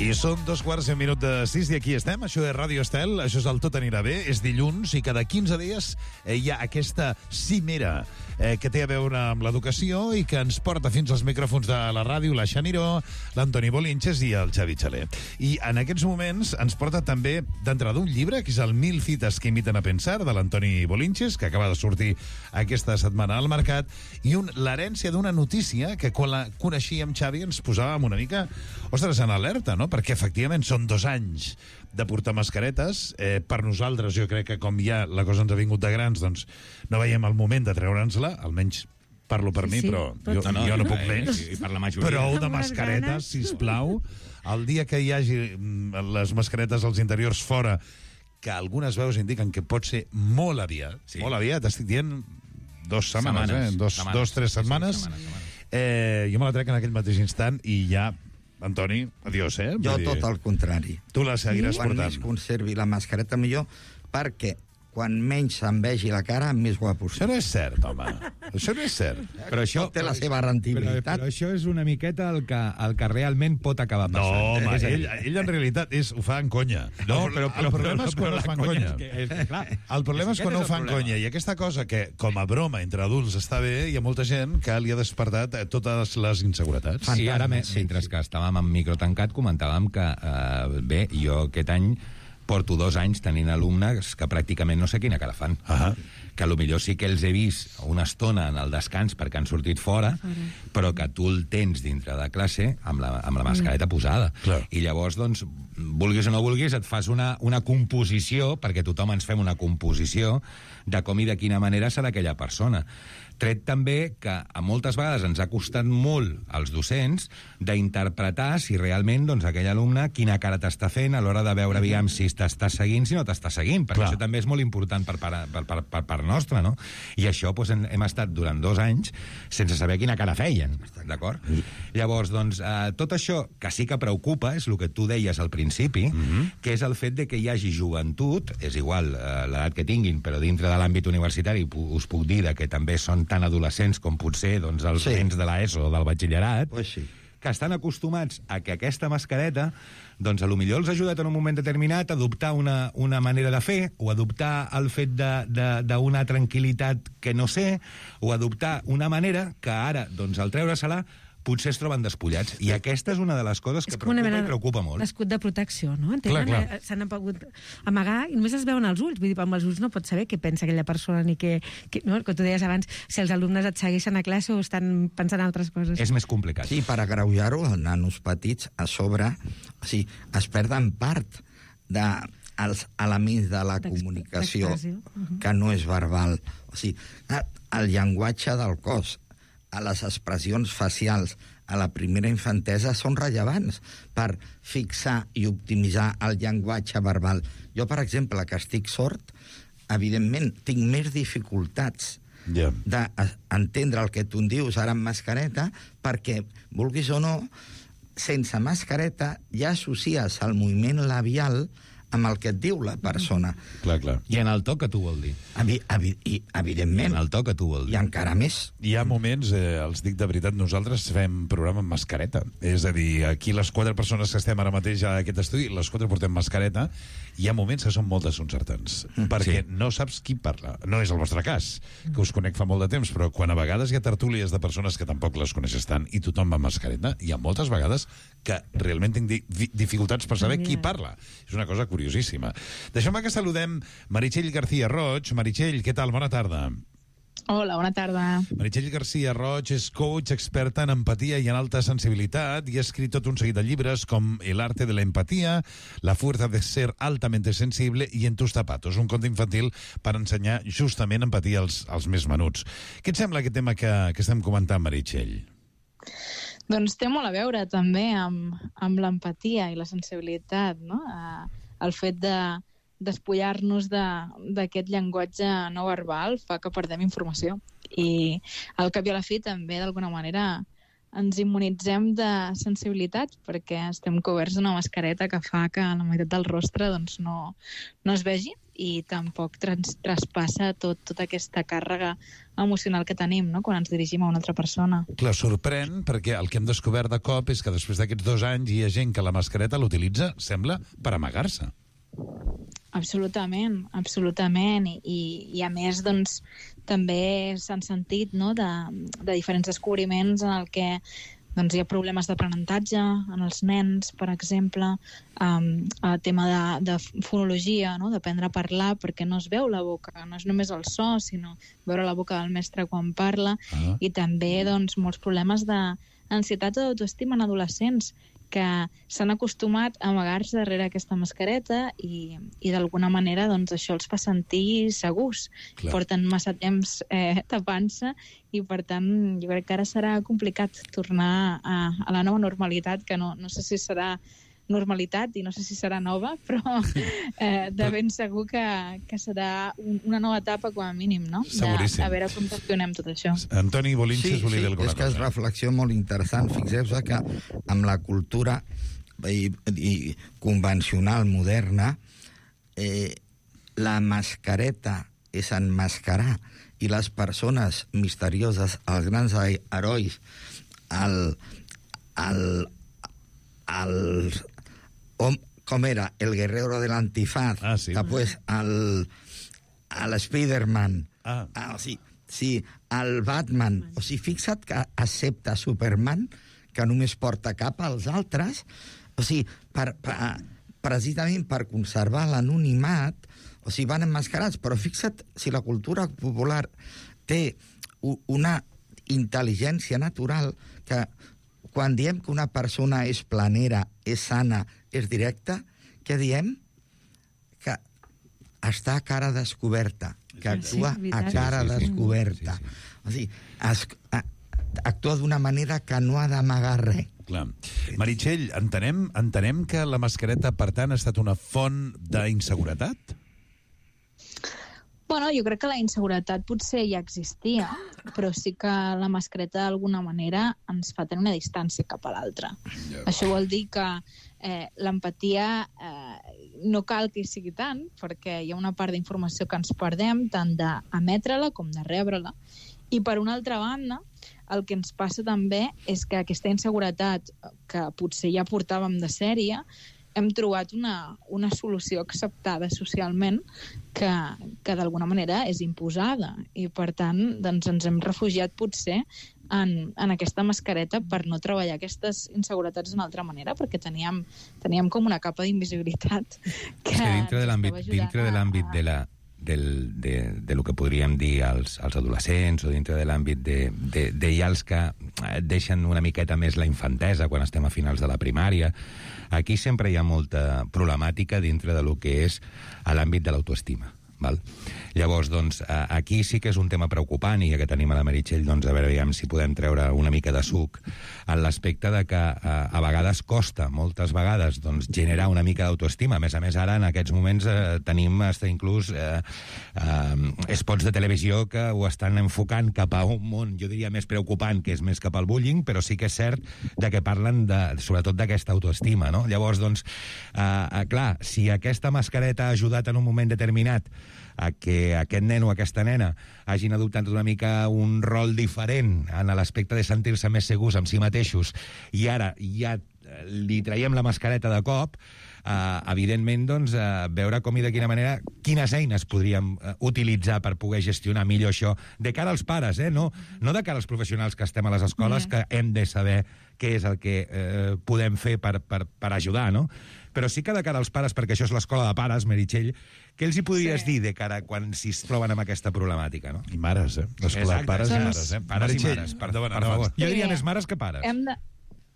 I són 2:15 i aquí estem. Això és Ràdio Estel, això és el Tot anirà bé. És dilluns i cada 15 dies hi ha aquesta cimera que té a veure amb l'educació i que ens porta fins als micròfons de la ràdio la Xaniró, l'Antoni Bolinches i el Xavi Xaler. I en aquests moments ens porta també d'entrada un llibre, que és el 1000 fites que imiten a pensar, de l'Antoni Bolinches, que acaba de sortir aquesta setmana al mercat, i l'herència d'una notícia que quan la coneixíem, Xavi, ens posàvem una mica, ostres, en alerta, no? Perquè efectivament són 2 anys de portar mascaretes. Per nosaltres, jo crec que com ja la cosa ens ha vingut de grans, doncs no veiem el moment de treure'ns-la, almenys parlo per mi, però jo no puc més. I per la majoria. Prou de mascaretes, sisplau. El dia que hi hagi les mascaretes als interiors fora, que algunes veus indiquen que pot ser molt aviat, molt aviat, estic dient 2 setmanes, 2-3 setmanes, jo me la trec en aquell mateix instant i ja, Antoni, adiós, eh? Jo tot el contrari. Tu la seguiràs Quan portant. més conservi la mascareta, millor, perquè quan menys se'n vegi la cara, més guapo. Això no és cert, home. Això no és cert. Però això Té la seva rendibilitat. Però això és una miqueta el que realment pot acabar No, passant. home, ell en realitat ho fa en conya. No, el problema és quan no ho fa en conya. El problema és quan no ho fa en conya. I aquesta cosa que, com a broma entre adults està bé, hi ha molta gent que li ha despertat totes les inseguretats. Sí, ara, mentre que estàvem en micro tancat, comentàvem que, bé, jo aquest any porto 2 anys tenint alumnes que pràcticament no sé quina cara fan. Que potser sí que els he vist una estona en el descans perquè han sortit fora, però que tu el tens dintre de classe amb la mascareta posada. Clar. I llavors, doncs, vulguis o no vulguis, et fas una composició, perquè tothom ens fem una composició de com i de quina manera serà aquella persona. Tret també que a moltes vegades ens ha costat molt als docents d'interpretar si realment doncs, aquell alumne quina cara t'està fent a l'hora de veure aviam si t'està seguint, si no t'està seguint, perquè això també és molt important per part nostra, no? I això doncs, hem estat durant 2 anys sense saber quina cara feien, d'acord? Llavors, doncs, tot això que sí que preocupa és el que tu deies al principi, que és el fet de que hi hagi joventut, és igual l'edat que tinguin, però dintre de l'àmbit universitari us puc dir que també són tan adolescents com potser doncs, els nens de l'ESO o del batxillerat, que estan acostumats a que aquesta mascareta doncs potser els ha ajudat en un moment determinat a adoptar una manera de fer, o adoptar el fet d'una tranquil·litat que no sé, o adoptar una manera que ara, doncs, al treure-se-la, potser es troben despullats. I aquesta és una de les coses que preocupa molt. L'escut de protecció, no? Clar. S'han pogut amagar i només es veuen els ulls. Vull dir, amb els ulls no pots saber què pensa aquella persona ni no? El que tu deies abans, si els alumnes et segueixen a classe o estan pensant en altres coses. És més complicat. Sí, per agreujar-ho, els nanos petits a sobre, o sigui, es perden part dels elements de la comunicació que no és verbal. O sigui, el llenguatge del cos, a les expressions facials a la primera infantesa són rellevants per fixar i optimitzar el llenguatge verbal. Jo, per exemple, que estic sord, evidentment tinc més dificultats d'entendre el que tu em dius ara amb mascareta, perquè, vulguis o no, sense mascareta ja associes el moviment labial amb el que et diu la persona. Clar. I en el to que tu vol dir. Evidentment. En el to que tu vol dir. I encara més. Hi ha moments, els dic de veritat, nosaltres fem programa amb mascareta. És a dir, aquí les 4 persones que estem ara mateix a aquest estudi, les 4 portem mascareta, i hi ha moments que són molt desconcertants, perquè no saps qui parla. No és el vostre cas, que us conec fa molt de temps, però quan a vegades hi ha tertúlies de persones que tampoc les coneixes tant i tothom va amb mascareta, hi ha moltes vegades que realment tinc dificultats per saber qui parla. És una cosa curiosíssima. Deixeu-me que saludem Meritxell García Roig. Meritxell, què tal? Bona tarda. Hola, bona tarda. Meritxell García Roig és coach, experta en empatia i en alta sensibilitat i ha escrit tot un seguit de llibres com El arte de la empatía, La fuerza de ser altamente sensible i En tus zapatos, un conte infantil per ensenyar justament empatia als més menuts. Què et sembla aquest tema que estem comentant, Meritxell? Doncs té molt a veure també amb l'empatia i la sensibilitat, no? El fet de despullar-nos d'aquest llenguatge no verbal fa que perdem informació. I al cap i a la fi també, d'alguna manera, ens immunitzem de sensibilitat perquè estem coberts d'una mascareta que fa que la meitat del rostre doncs, no es vegi i tampoc traspassa tota aquesta càrrega emocional que tenim, no?, quan ens dirigim a una altra persona. Clar, sorprèn, perquè el que hem descobert de cop és que després d'aquests 2 anys hi ha gent que la mascareta l'utilitza, sembla, per amagar-se. Absolutament. I a més, doncs, també s'han sentit, no?, de diferents descobriments en el que doncs, hi ha problemes d'aprenentatge en els nens, per exemple, el tema de fonologia, no?, d'aprendre a parlar perquè no es veu la boca, no és només el so, sinó veure la boca del mestre quan parla, i també doncs, molts problemes d'ansietat o d'autoestima en adolescents que s'han acostumat a amagar-se darrere aquesta mascareta i d'alguna manera doncs, això els fa sentir segurs. Clar. Porten massa temps tapant-se i, per tant, jo crec que ara serà complicat tornar a la nova normalitat, que no sé si serà normalitat i no sé si serà nova, però de ben segur que serà una nova etapa com a mínim, no? Seguríssim. A veure com gestionem tot això. Antoni Bolinches volia dir alguna cosa. És que és reflexió molt interessant. Fixeu-vos que amb la cultura i convencional moderna la mascareta és enmascarar i les persones misterioses, els grans herois, com era? El guerrero de l'antifaz, sí. Després el Spider-Man, el Batman. O sigui, fixa't que accepta Superman, que només porta cap als altres, o sigui, precisament per conservar l'anonimat, o sigui, van emmascarats, però fixa't si la cultura popular té una intel·ligència natural que quan diem que una persona és planera, és sana, és directa, què diem? Que està a cara descoberta, que actua a cara descoberta. O sigui, actua d'una manera que no ha d'amagar res. Clar. Meritxell, entenem que la mascareta, per tant, ha estat una font d'inseguretat? Bueno, jo crec que la inseguretat potser ja existia, però sí que la mascareta d'alguna manera ens fa tenir una distància cap a l'altre. Això vol dir que l'empatia no cal que hi sigui tant, perquè hi ha una part d'informació que ens perdem, tant d'emetre-la com de rebre-la. I per una altra banda, el que ens passa també és que aquesta inseguretat que potser ja portàvem de sèrie, hem trobat una solució acceptada socialment que d'alguna manera és imposada i, per tant, doncs ens hem refugiat potser en aquesta mascareta per no treballar aquestes inseguretats d'una altra manera, perquè teníem com una capa d'invisibilitat que dintre de l'àmbit de lo que podríem dir als adolescents o dintre de l'àmbit de ja els que deixen una miqueta més la infantesa quan estem a finals de la primària, aquí sempre hi ha molta problemàtica dintre de lo que és l'àmbit de l'autoestima. val? Llavors, doncs, aquí sí que és un tema preocupant, i ja que tenim a la Meritxell, doncs, a veure si podem treure una mica de suc, en l'aspecte de que a vegades costa, moltes vegades, doncs, generar una mica d'autoestima. A més, ara, en aquests moments, tenim inclús spots de televisió que ho estan enfocant cap a un món, jo diria, més preocupant, que és més cap al bullying, però sí que és cert de que parlen sobretot d'aquesta autoestima, no? Llavors, doncs, clar, si aquesta mascareta ha ajudat en un moment determinat a que aquest nen o aquesta nena hagin adoptat una mica un rol diferent en l'aspecte de sentir-se més segurs amb si mateixos, i ara ja li traiem la mascareta de cop, evidentment, doncs, veure com i de quina manera, quines eines podríem utilitzar per poder gestionar millor això, de cara als pares, no de cara als professionals que estem a les escoles, que hem de saber què és el que podem fer per ajudar, no? Però sí que de cara als pares, perquè això és l'escola de pares, Meritxell, què els hi podries dir de cara quan s'hi troben amb aquesta problemàtica, no? I mares, l'escola de pares i mares, Pares i mares, per favor. Jo diria més mares que pares.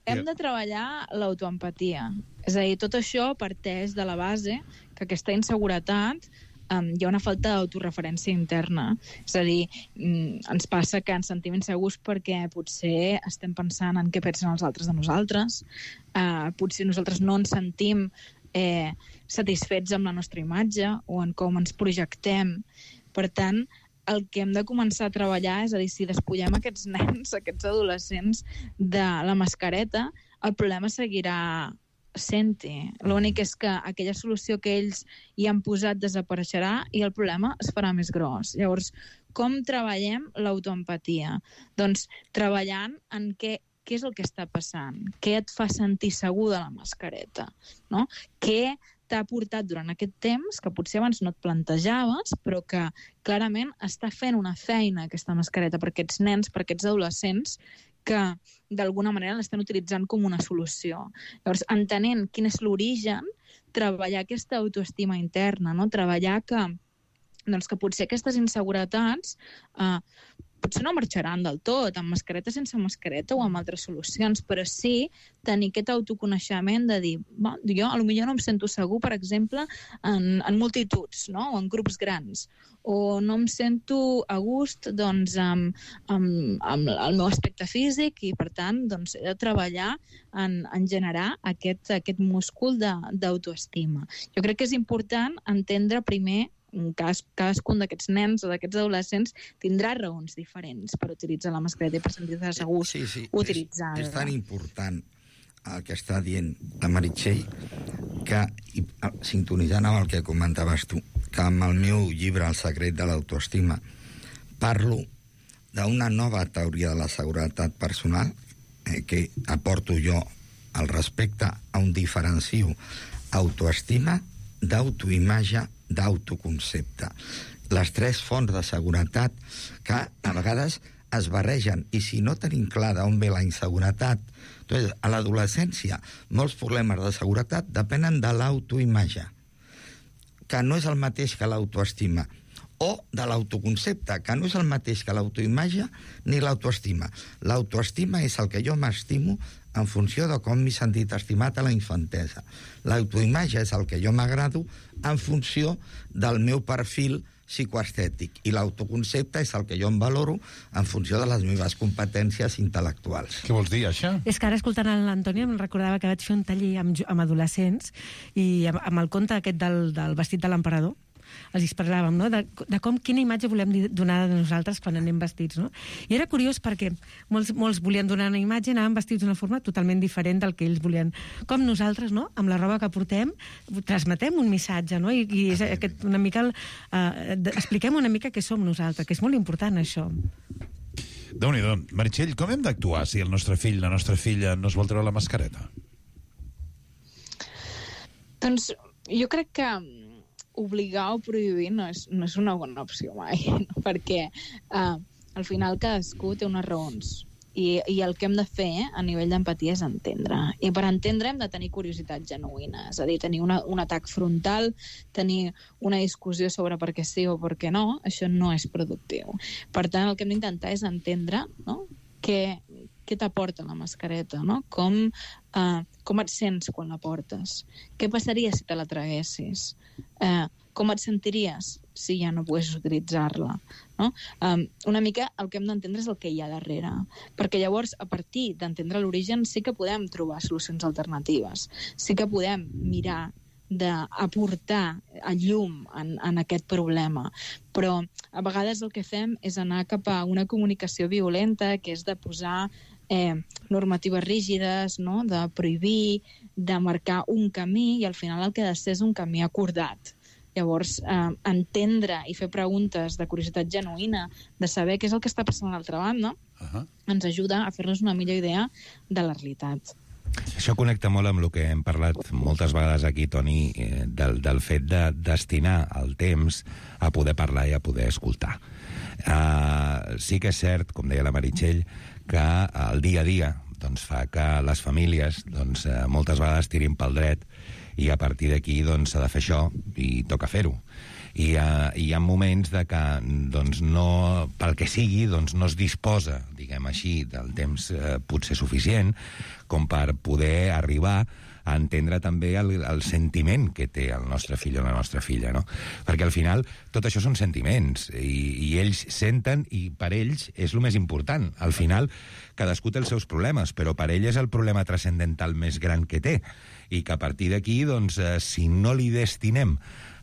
Hem de treballar l'autoempatia. És a dir, tot això parteix de la base que aquesta inseguretat hi ha una falta d'autoreferència interna. És a dir, ens passa que ens sentim insegurs perquè potser estem pensant en què pensen els altres de nosaltres, potser nosaltres no ens sentim satisfets amb la nostra imatge o en com ens projectem. Per tant, el que hem de començar a treballar és a dir, si despullem aquests nens, aquests adolescents de la mascareta, el problema seguirà sent-hi. L'únic és que aquella solució que ells hi han posat desapareixerà i el problema es farà més gros. Llavors, com treballem l'autoempatia? Doncs treballant en què és el que està passant, què et fa sentir segur de la mascareta, no? Què t'ha portat durant aquest temps, que potser abans no et plantejaves, però que clarament està fent una feina aquesta mascareta per aquests nens, per aquests adolescents, que d'alguna manera l'estan utilitzant com una solució. Llavors, entenent quin és l'origen, treballar aquesta autoestima interna, no? Treballar que potser aquestes inseguretats potser no marxaran del tot, amb mascareta, sense mascareta o amb altres solucions, però sí tenir aquest autoconeixement de dir, jo potser no em sento segur, per exemple, en multituds, no? O en grups grans, o no em sento a gust amb el meu aspecte físic i, per tant, he de treballar en generar aquest múscul d'autoestima. Jo crec que és important entendre primer cadascun d'aquests nens o d'aquests adolescents tindrà raons diferents per utilitzar la mascareta i per sentir-se segurs utilitzar-la. És tan important el que està dient la Meritxell que, sintonitzant amb el que comentaves tu, que amb el meu llibre El secret de l'autoestima parlo d'una nova teoria de la seguretat personal que aporto jo al respecte a un diferenciu autoestima, d'autoimatge, d'autoconcepte. Les tres fonts de seguretat que a vegades es barregen, i si no tenim clar d'on ve la inseguretat, doncs a l'adolescència molts problemes de seguretat depenen de l'autoimatge, que no és el mateix que l'autoestima, o de l'autoconcepte, que no és el mateix que l'autoimatge ni l'autoestima. L'autoestima és el que jo m'estimo en funció de com m'he sentit estimat a la infantesa. L'autoimatge és el que jo m'agrado en funció del meu perfil psicoestètic, i l'autoconcepte és el que jo em valoro en funció de les meves competències intel·lectuals. Què vols dir, això? És que ara, escoltant l'Antoni, em recordava que vaig fer un taller amb adolescents i amb el conte aquest del vestit de l'emperador. Els parlàvem, no? de quina imatge volem donar de nosaltres quan anem vestits, no? I era curiós perquè molts volien donar una imatge, anaven vestits d'una forma totalment diferent del que ells volien. Com nosaltres, no? Amb la roba que portem, transmetem un missatge, no? I és una mica expliquem una mica què som nosaltres, que és molt important, això. Déu-n'hi-do. Meritxell, com hem d'actuar si el nostre fill, la nostra filla, no es vol treure la mascareta? Doncs jo crec que obligar o prohibir no és una bona opció mai, no? Perquè al final cadascú té unes raons i el que hem de fer a nivell d'empatia és entendre, i per entendre hem de tenir curiositat genuïna, és a dir, tenir un atac frontal, tenir una discussió sobre per què sí o per què no, això no és productiu. Per tant, el que hem d'intentar és entendre, no? Què t'aporta la mascareta, no? Com et sents quan la portes? Què passaria si te la traguessis? Com et sentiries si ja no poguessis utilitzar-la, no? Una mica el que hem d'entendre és el que hi ha darrere, perquè llavors, a partir d'entendre l'origen, sí que podem trobar solucions alternatives, sí que podem mirar d'aportar a llum en aquest problema, però a vegades el que fem és anar cap a una comunicació violenta, que és de posar normatives rígides, no? De prohibir, de marcar un camí, i al final el que ha de ser és un camí acordat. Llavors, entendre i fer preguntes de curiositat genuïna, de saber què és el que està passant a l'altra banda, ens ajuda a fer-nos una millor idea de la realitat. Això connecta molt amb el que hem parlat moltes vegades aquí, Toni, del fet de destinar el temps a poder parlar i a poder escoltar. Sí que és cert, com deia la Meritxell, que el dia a dia doncs, fa que les famílies moltes vegades tirin pel dret, i a partir d'aquí s'ha de fer això i toca fer-ho. I hi ha moments de que no, pel que sigui, no es disposa, diguem així, del temps potser suficient com per poder arribar a entendre també el sentiment que té el nostre fill o la nostra filla, no? Perquè al final tot això són sentiments i ells senten, i per ells és el més important. Al final cadascú té els seus problemes, però per ell és el problema transcendental més gran que té, i que a partir d'aquí, si no li destinem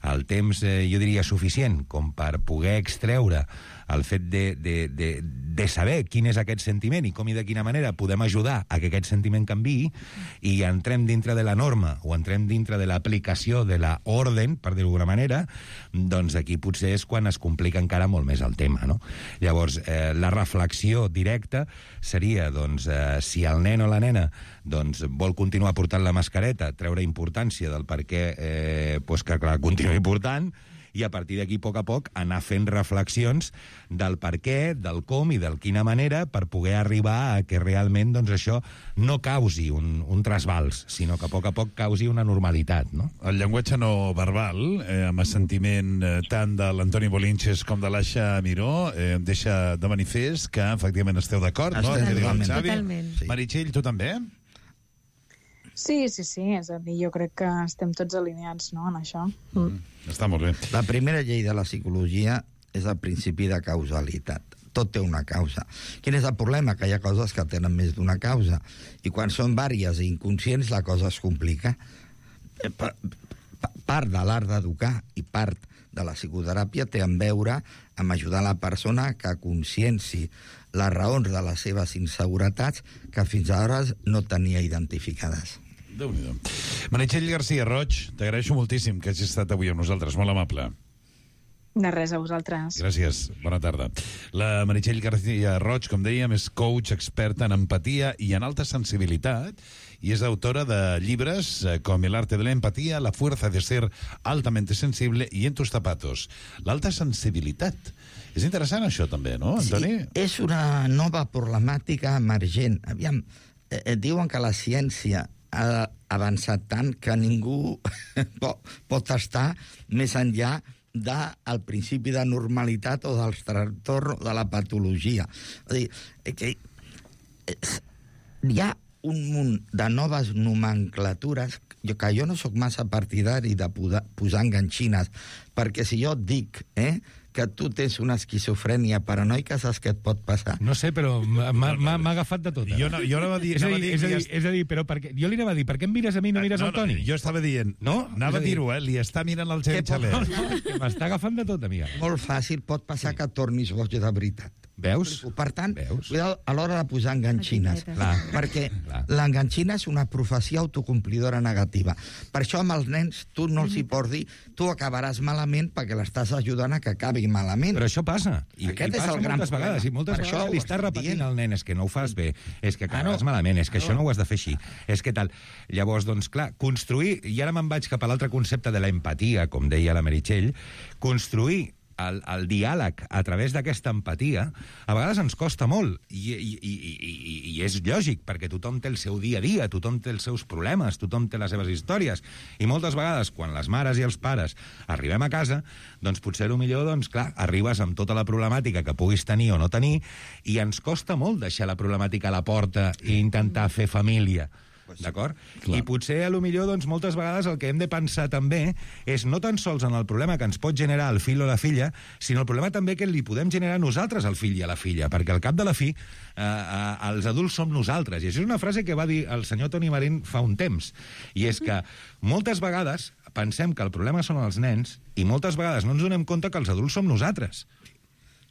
el temps, jo diria, suficient com per poder extreure el fet de saber quin és aquest sentiment i com i de quina manera podem ajudar a que aquest sentiment canviï, i entrem dintre de la norma o entrem dintre de l'aplicació de la orden, per dir-ho d'alguna manera, doncs aquí potser és quan es complica encara molt més el tema, no? Llavors, la reflexió directa seria, si el nen o la nena vol continuar portant la mascareta, treure importància del per què que clar, continuï portant, i a partir d'aquí, a poc, anar fent reflexions del per què, del com i de quina manera, per poder arribar a que realment això no causi un trasbals, sinó que a poc causi una normalitat, no? El llenguatge no verbal, amb assentiment tant de l'Antoni Bolinches com de l'Aixa Miró, deixa de manifest que efectivament esteu d'acord, no? Totalment. Sí. Meritxell, tu també? Sí, és a dir, jo crec que estem tots alineats, no?, en això. Està molt bé. La primera llei de la psicologia és el principi de causalitat. Tot té una causa. Quin és el problema? Que hi ha coses que tenen més d'una causa. I quan són vàries i inconscients, la cosa es complica. Part de l'art d'educar i part de la psicoteràpia té a veure amb ajudar la persona que conscienci les raons de les seves inseguretats que fins ara no tenia identificades. Déu-n'hi-do. Meritxell García Roig, t'agraeixo moltíssim que hagis estat avui amb nosaltres, molt amable. De res, a vosaltres. Gràcies, bona tarda. La Meritxell García Roig, com dèiem, és coach experta en empatia i en alta sensibilitat, i és autora de llibres com El arte de la empatía, La fuerza de ser altamente sensible i En tus zapatos. L'alta sensibilitat. És interessant això també, no, Antoni? Sí, és una nova problemàtica emergent. Aviam, diuen que la ciència ha avançat tant que ningú pot estar més enllà del principi de normalitat o del trastorn de la patologia. És a dir, que hi ha un munt de noves nomenclatures que jo no sóc massa partidari de posar enganxines, perquè si jo et dic que tu tens una esquizofrènia paranoica, saps què et pot passar? No sé, però m'ha agafat de tot. Jo anava a dir... És a dir, però jo li anava a dir, per què em mires a mi i no mires al Toni? Jo estava dient... No? Anava a dir-ho, li està mirant el Xavier Xaler. No, m'està agafant de tot, amiga. Molt fàcil, pot passar que tornis boig de veritat. Veus? Per tant, cuidado a l'hora de posar enganxines, perquè l'enganxina és una profecia autocomplidora negativa. Per això amb els nens tu no els hi pots dir tu acabaràs malament perquè l'estàs ajudant a que acabi malament. Però això passa. I Aquest és passa el gran moltes vegades. I moltes vegades li estàs repetint al nen, és que no ho fas bé, és que acabaràs malament, és que això no ho has de fer així, és que tal. Llavors, doncs, clar, construir, i ara me'n vaig cap a l'altre concepte de la empatia, com deia la Meritxell, construir el diàleg a través d'aquesta empatia a vegades ens costa molt i és lògic, perquè tothom té el seu dia a dia, tothom té els seus problemes, tothom té les seves històries, i moltes vegades quan les mares i els pares arribem a casa, doncs potser millor, doncs clar, arribes amb tota la problemàtica que puguis tenir o no tenir, i ens costa molt deixar la problemàtica a la porta i intentar fer família. d'acord? I potser, a lo millor, doncs, moltes vegades el que hem de pensar també és no tan sols en el problema que ens pot generar el fill o la filla, sinó el problema també que li podem generar nosaltres al fill i a la filla, perquè al cap de la fi els adults som nosaltres. I això és una frase que va dir el senyor Toni Marín fa un temps, i és que moltes vegades pensem que el problema són els nens i moltes vegades no ens donem compte que els adults som nosaltres.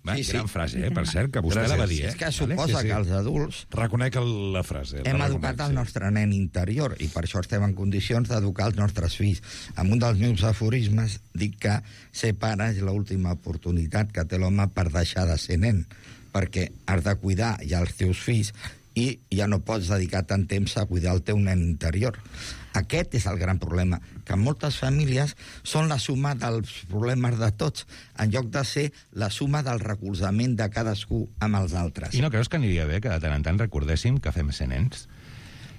Gran frase, per cert, que vostè la va dir. És que suposa que els adults... Reconec la frase. Hem educat el nostre nen interior i per això estem en condicions d'educar els nostres fills. En un dels meus aforismes dic que ser pare és l'última oportunitat que té l'home per deixar de ser nen, perquè has de cuidar ja els teus fills i ja no pots dedicar tant temps a cuidar el teu nen interior. Aquest és el gran problema, que moltes famílies són la suma dels problemes de tots, en lloc de ser la suma del recolzament de cadascú amb els altres. I no creus que aniria bé que de tant en tant recordéssim que fem ser nens?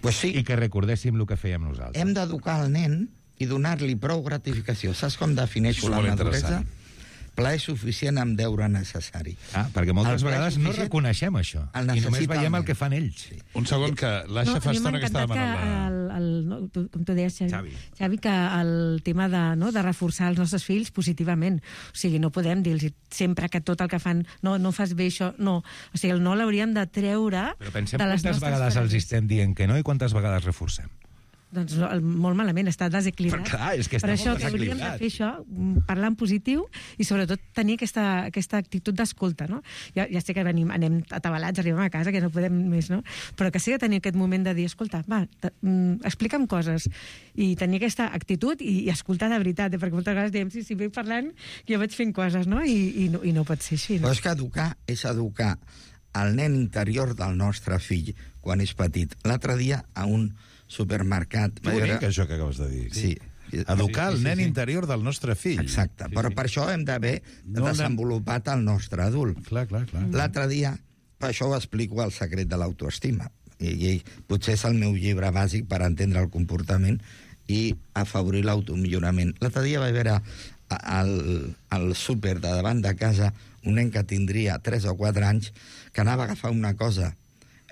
Pues sí. I que recordéssim el que fèiem nosaltres. Hem d'educar el nen i donar-li prou gratificació. Saps com defineixo la maduresa? Plaer suficient amb deure necessari. Perquè moltes vegades no reconeixem això i només veiem el que fan ells. Sí. Un segon, que l'Aixa fa estona que estava demanant com tu deies, Xavi, que el tema de reforçar els nostres fills positivament. O sigui, no podem dir-los sempre que tot el que fan no fas bé això, no. O sigui, no l'hauríem de treure de les nostres... Però pensem quantes vegades els estem dient que no i quantes vegades reforcem. Doncs molt malament, està desequilibrat. Clar, és que està per molt això que hauríem de fer això, parlar en positiu i sobretot tenir aquesta actitud d'escolta, no? Ja sé que anem atabalats, arribem a casa, que no podem més, no? Però que sí que tenir aquest moment de dir, escolta, explica'm coses, i tenir aquesta actitud i escoltar de veritat, perquè moltes vegades diem, sí, vaig parlant, jo vaig fent coses, no? I no pot ser així, no? Però és que educar és educar el nen interior del nostre fill quan és petit. L'altre dia, a un supermercat... Bonic, això que acabes de dir. Sí. Educar el nen interior del nostre fill. Exacte, però per això hem d'haver desenvolupat el nostre adult. Clar. L'altre dia, per això ho explico el secret de l'autoestima. I potser és el meu llibre bàsic per entendre el comportament i afavorir l'automillorament. L'altre dia vaig veure al súper de davant de casa un nen que tindria 3 o 4 anys que anava a agafar una cosa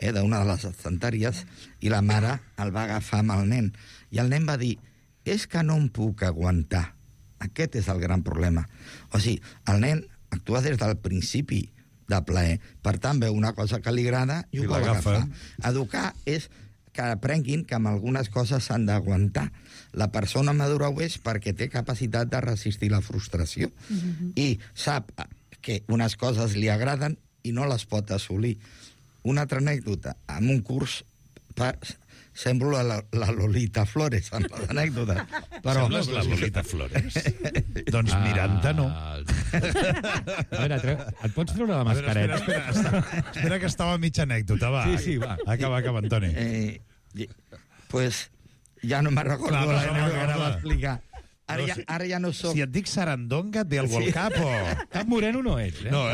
d'una de les estanteries i la mare el va agafar amb el nen. I el nen va dir, és que no em puc aguantar. Aquest és el gran problema. O sigui, el nen actua des del principi de plaer. Per tant, veu una cosa que li agrada i ho vol agafar. Educar és que aprenguin que amb algunes coses s'han d'aguantar. La persona madura ho és perquè té capacitat de resistir la frustració i sap que unes coses li agraden i no les pot assolir. Una altra anècdota, en un curs semblo la Lolita Flores en les anècdotes. Però sembles la Lolita Flores? Doncs Miranda no. A veure, et pots treure la mascareta? Espera que estava a mitja anècdota, va. Sí, va. Acaba, Antoni. Pues ja no me'n recordo l'anècdota que anava a explicar. Ara ja no soc... Si et dic Sarandonga, et ve algú al cap o... Cap moreno no ets, No,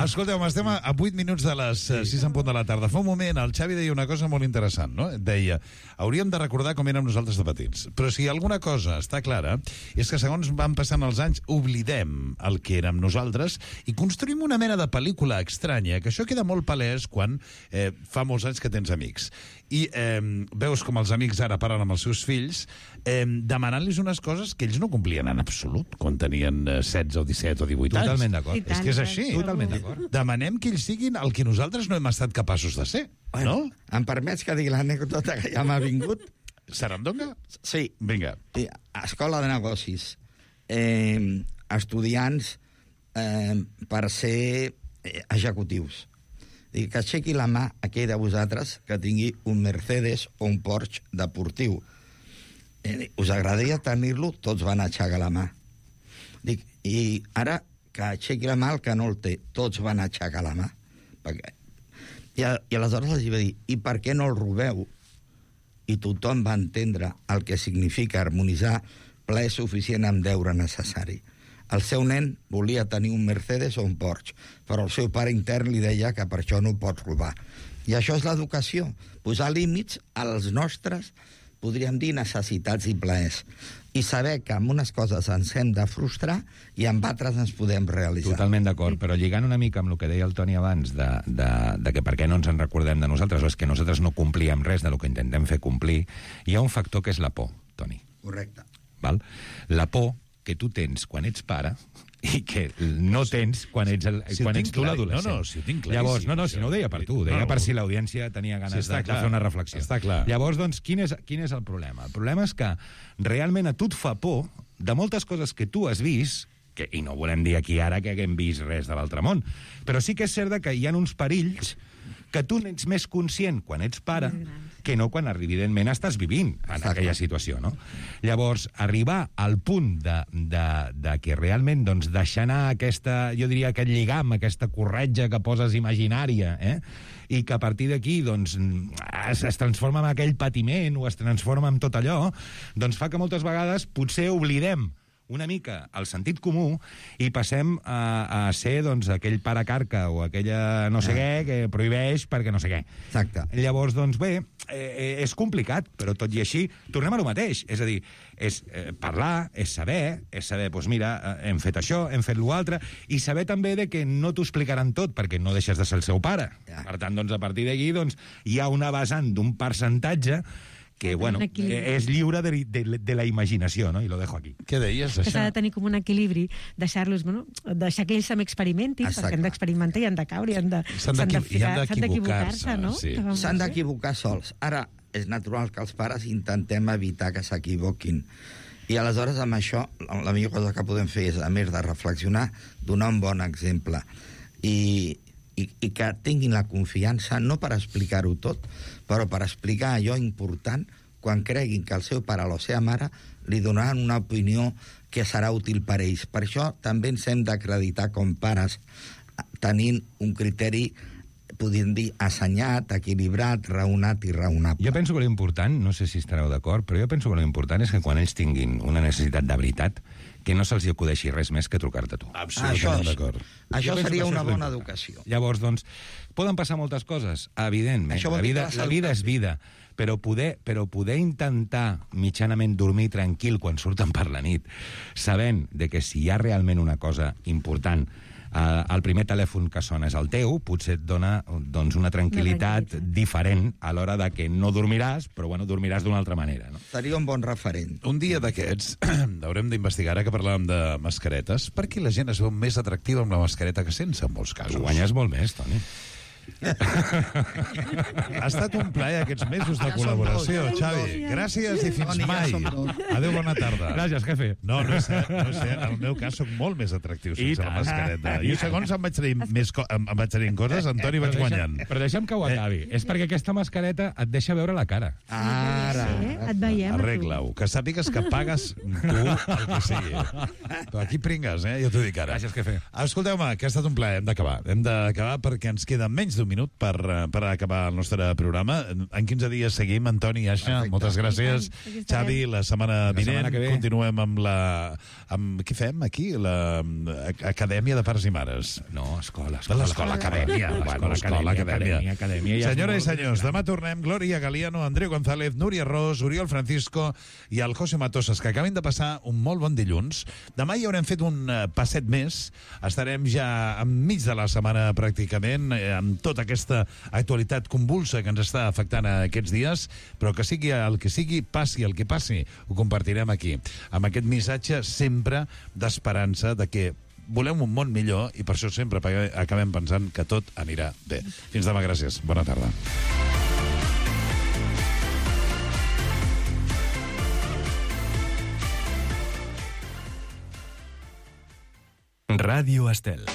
Escolteu, estem a 8 minuts de les 6 en punt de la tarda. Fa un moment el Xavi deia una cosa molt interessant, no? Deia, hauríem de recordar com érem nosaltres de petits. Però si alguna cosa està clara és que segons van passant els anys oblidem el que érem nosaltres i construïm una mena de pel·lícula estranya, que això queda molt palès quan fa molts anys que tens amics. I veus com els amics ara parlen amb els seus fills demanant-los unes coses que ells no complien en absolut quan tenien 16 o 17 o 18 anys. Totalment d'acord. És que és així. Totalment d'acord. Demanem que ells siguin el que nosaltres no hem estat capaços de ser. Bueno, no? Em permets que digui l'anècdota que ja m'ha vingut? Sarandonga? Sí. Vinga. Escola de negocis. Estudiants per ser executius. Dic, que aixequi la mà aquell de vosaltres que tingui un Mercedes o un Porsche deportiu. Us agradaria tenir-lo? Tots van aixecar la mà. Dic, i ara que aixequi la mà el que no el té. Tots van aixecar la mà. I aleshores els va dir, i per què no el robeu? I tothom va entendre el que significa harmonitzar plaer suficient amb deure necessari. El seu nen volia tenir un Mercedes o un Porsche, però el seu pare intern li deia que per això no ho pots robar. I això és l'educació, posar límits als nostres podríem dir, necessitats i plaers. I saber que amb unes coses ens hem de frustrar i amb altres ens podem realitzar. Totalment d'acord, però lligant una mica amb el que deia el Toni abans de que per què no ens en recordem de nosaltres, o és que nosaltres no complíem res de lo que intentem fer complir, hi ha un factor que és la por, Toni. Correcte. Val? La por que tu tens quan ets pare i que no tens quan ets tu l'adolescent. No, si ho tinc claríssim. Llavors, si no ho deia per tu, ho deia per si l'audiència tenia ganes de fer una reflexió. Està clar. Llavors, doncs, quin és el problema? El problema és que realment a tu et fa por de moltes coses que tu has vist, i no volem dir aquí ara que haguem vist res de l'altre món, però sí que és cert que hi ha uns perills que tu n'ets més conscient quan ets pare que no quan, evidentment, estàs vivint en aquella situació, no? Llavors, arribar al punt de que realment doncs, deixar anar jo diria, aquest lligam, aquesta corretja que poses imaginària, i que a partir d'aquí doncs, es transforma en aquell patiment o es transforma en tot allò, doncs fa que moltes vegades potser oblidem una mica el sentit comú i passem a ser doncs, aquell pare carca o aquella no sé què que prohibeix perquè no sé què. Exacte. Llavors, doncs bé, és complicat, però tot i així tornem a lo mateix. És a dir, és parlar, és saber, doncs mira, hem fet això, hem fet l'altre, i saber també de que no t'ho explicaran tot perquè no deixes de ser el seu pare. Per tant, doncs, a partir d'aquí doncs, hi ha una vessant d'un percentatge que, bueno, és lliure de la imaginació, no? I lo dejo aquí. Què deies, això? Que s'ha de tenir com un equilibri, deixar-los, deixar que ells també experimentin, perquè han d'experimentar i han de caure, s'han d'equivocar-se, no? S'han d'equivocar sols. Ara, és natural que els pares intentem evitar que s'equivoquin. I aleshores, amb això, la millor cosa que podem fer és, a més de reflexionar, donar un bon exemple. I que tinguin la confiança, no per explicar-ho tot, però per explicar allò important quan creguin que el seu pare o la seva mare li donaran una opinió que serà útil per ells. Per això també ens hem d'acreditar com pares tenint un criteri, podríem dir, assenyat, equilibrat, raonat i raonable. Jo penso que l'important, no sé si estareu d'acord, però jo penso que l'important és que quan ells tinguin una necessitat de veritat, que no se'ls acudeixi res més que trucar-te tu. Absolutament d'acord. Això seria una bona educació. Llavors, doncs, poden passar moltes coses, evidentment. La vida és vida, però poder intentar mitjanament dormir tranquil quan surten per la nit, sabent de que si hi ha realment una cosa important, el primer telèfon que sona és el teu, potser et dona doncs, una tranquil·litat diferent a l'hora de que no dormiràs, però bueno, dormiràs d'una altra manera. No? Seria un bon referent. Un dia d'aquests haurem d'investigar, ara que parlàvem de mascaretes, per què la gent es veu més atractiva amb la mascareta que sense, en molts casos. Guanyes molt més, Toni. Ha estat un plaer aquests mesos de col·laboració, Xavi. Gràcies i fins mai. Adéu, bona tarda. Gràcies, jefe. No és cert. En el meu cas soc molt més atractiu sense la mascareta. I segons em vaig tenir coses, Antoni vaig guanyant. Però deixa'm que ho acabi. És perquè aquesta mascareta et deixa veure la cara. Ara. Et veiem. Arregla-ho. Que sàpigues que pagues tu el que sigui. Però aquí pringues, jo t'ho dic ara. Gràcies, jefe. Escolteu-me, que ha estat un plaer. Hem d'acabar perquè ens queda menys d'un minut per acabar el nostre programa. En 15 dies seguim, Antoni i Aixa. Moltes gràcies. Xavi, la setmana vinent continuem amb què fem aquí? L'Acadèmia de Pares i Mares. No, escola, acadèmia. Acadèmia. Senyores i senyors, demà tornem. Glòria Galiano, Andreu González, Núria Ros, Oriol Francisco i el José Matosas, que acaben de passar un molt bon dilluns. Demà hi haurem fet un passet més. Estarem ja enmig de la setmana pràcticament, amb tota aquesta actualitat convulsa que ens està afectant aquests dies, però que sigui el que sigui, passi el que passi, ho compartirem aquí, amb aquest missatge sempre d'esperança de que volem un món millor i per això sempre acabem pensant que tot anirà bé. Fins demà, gràcies. Bona tarda. Ràdio Estel.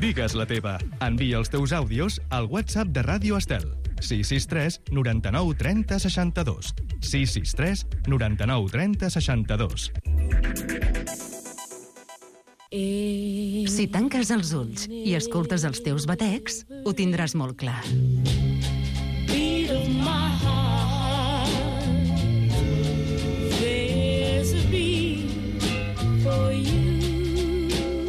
Digues la teva. Envia els teus àudios al WhatsApp de Ràdio Estel. 663 99 30 62. 663 99 30 62. Si tanques els ulls i escoltes els teus batecs, ho tindràs molt clar.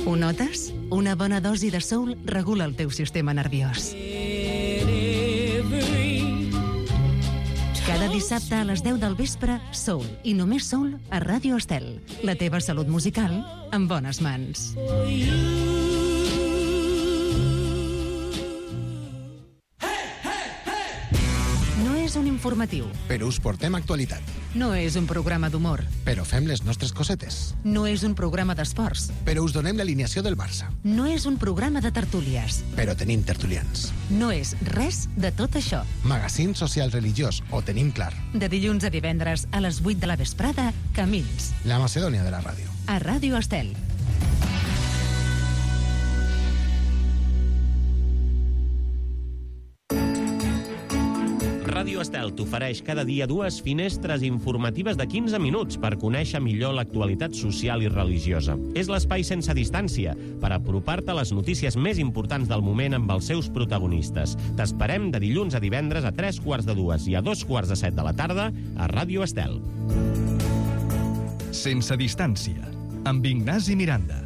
Ho notes? Una Una bona dosi de soul regula el teu sistema nerviós. Cada dissabte a les 10 del vespre, Soul, i només Soul a Ràdio Estel. La teva salut musical en bones mans. No és un informatiu. Però us portem actualitat. No és un programa d'humor. Però fem les nostres cosetes. No és un programa d'esports. Però us donem l'alineació del Barça. No és un programa de tertúlies. Però tenim tertulians. No és res de tot això. Magazín social religiós, ho tenim clar. De dilluns a divendres a les 8 de la vesprada, Camins. La Macedònia de la ràdio. A Ràdio Estel. Ràdio Estel t'ofereix cada dia 2 finestres informatives de 15 minuts per conèixer millor l'actualitat social i religiosa. És l'espai sense distància per apropar-te a les notícies més importants del moment amb els seus protagonistes. T'esperem de dilluns a divendres a 3:45 i a 2:45 de la tarda a Ràdio Estel. Sense distància, amb Ignasi Miranda.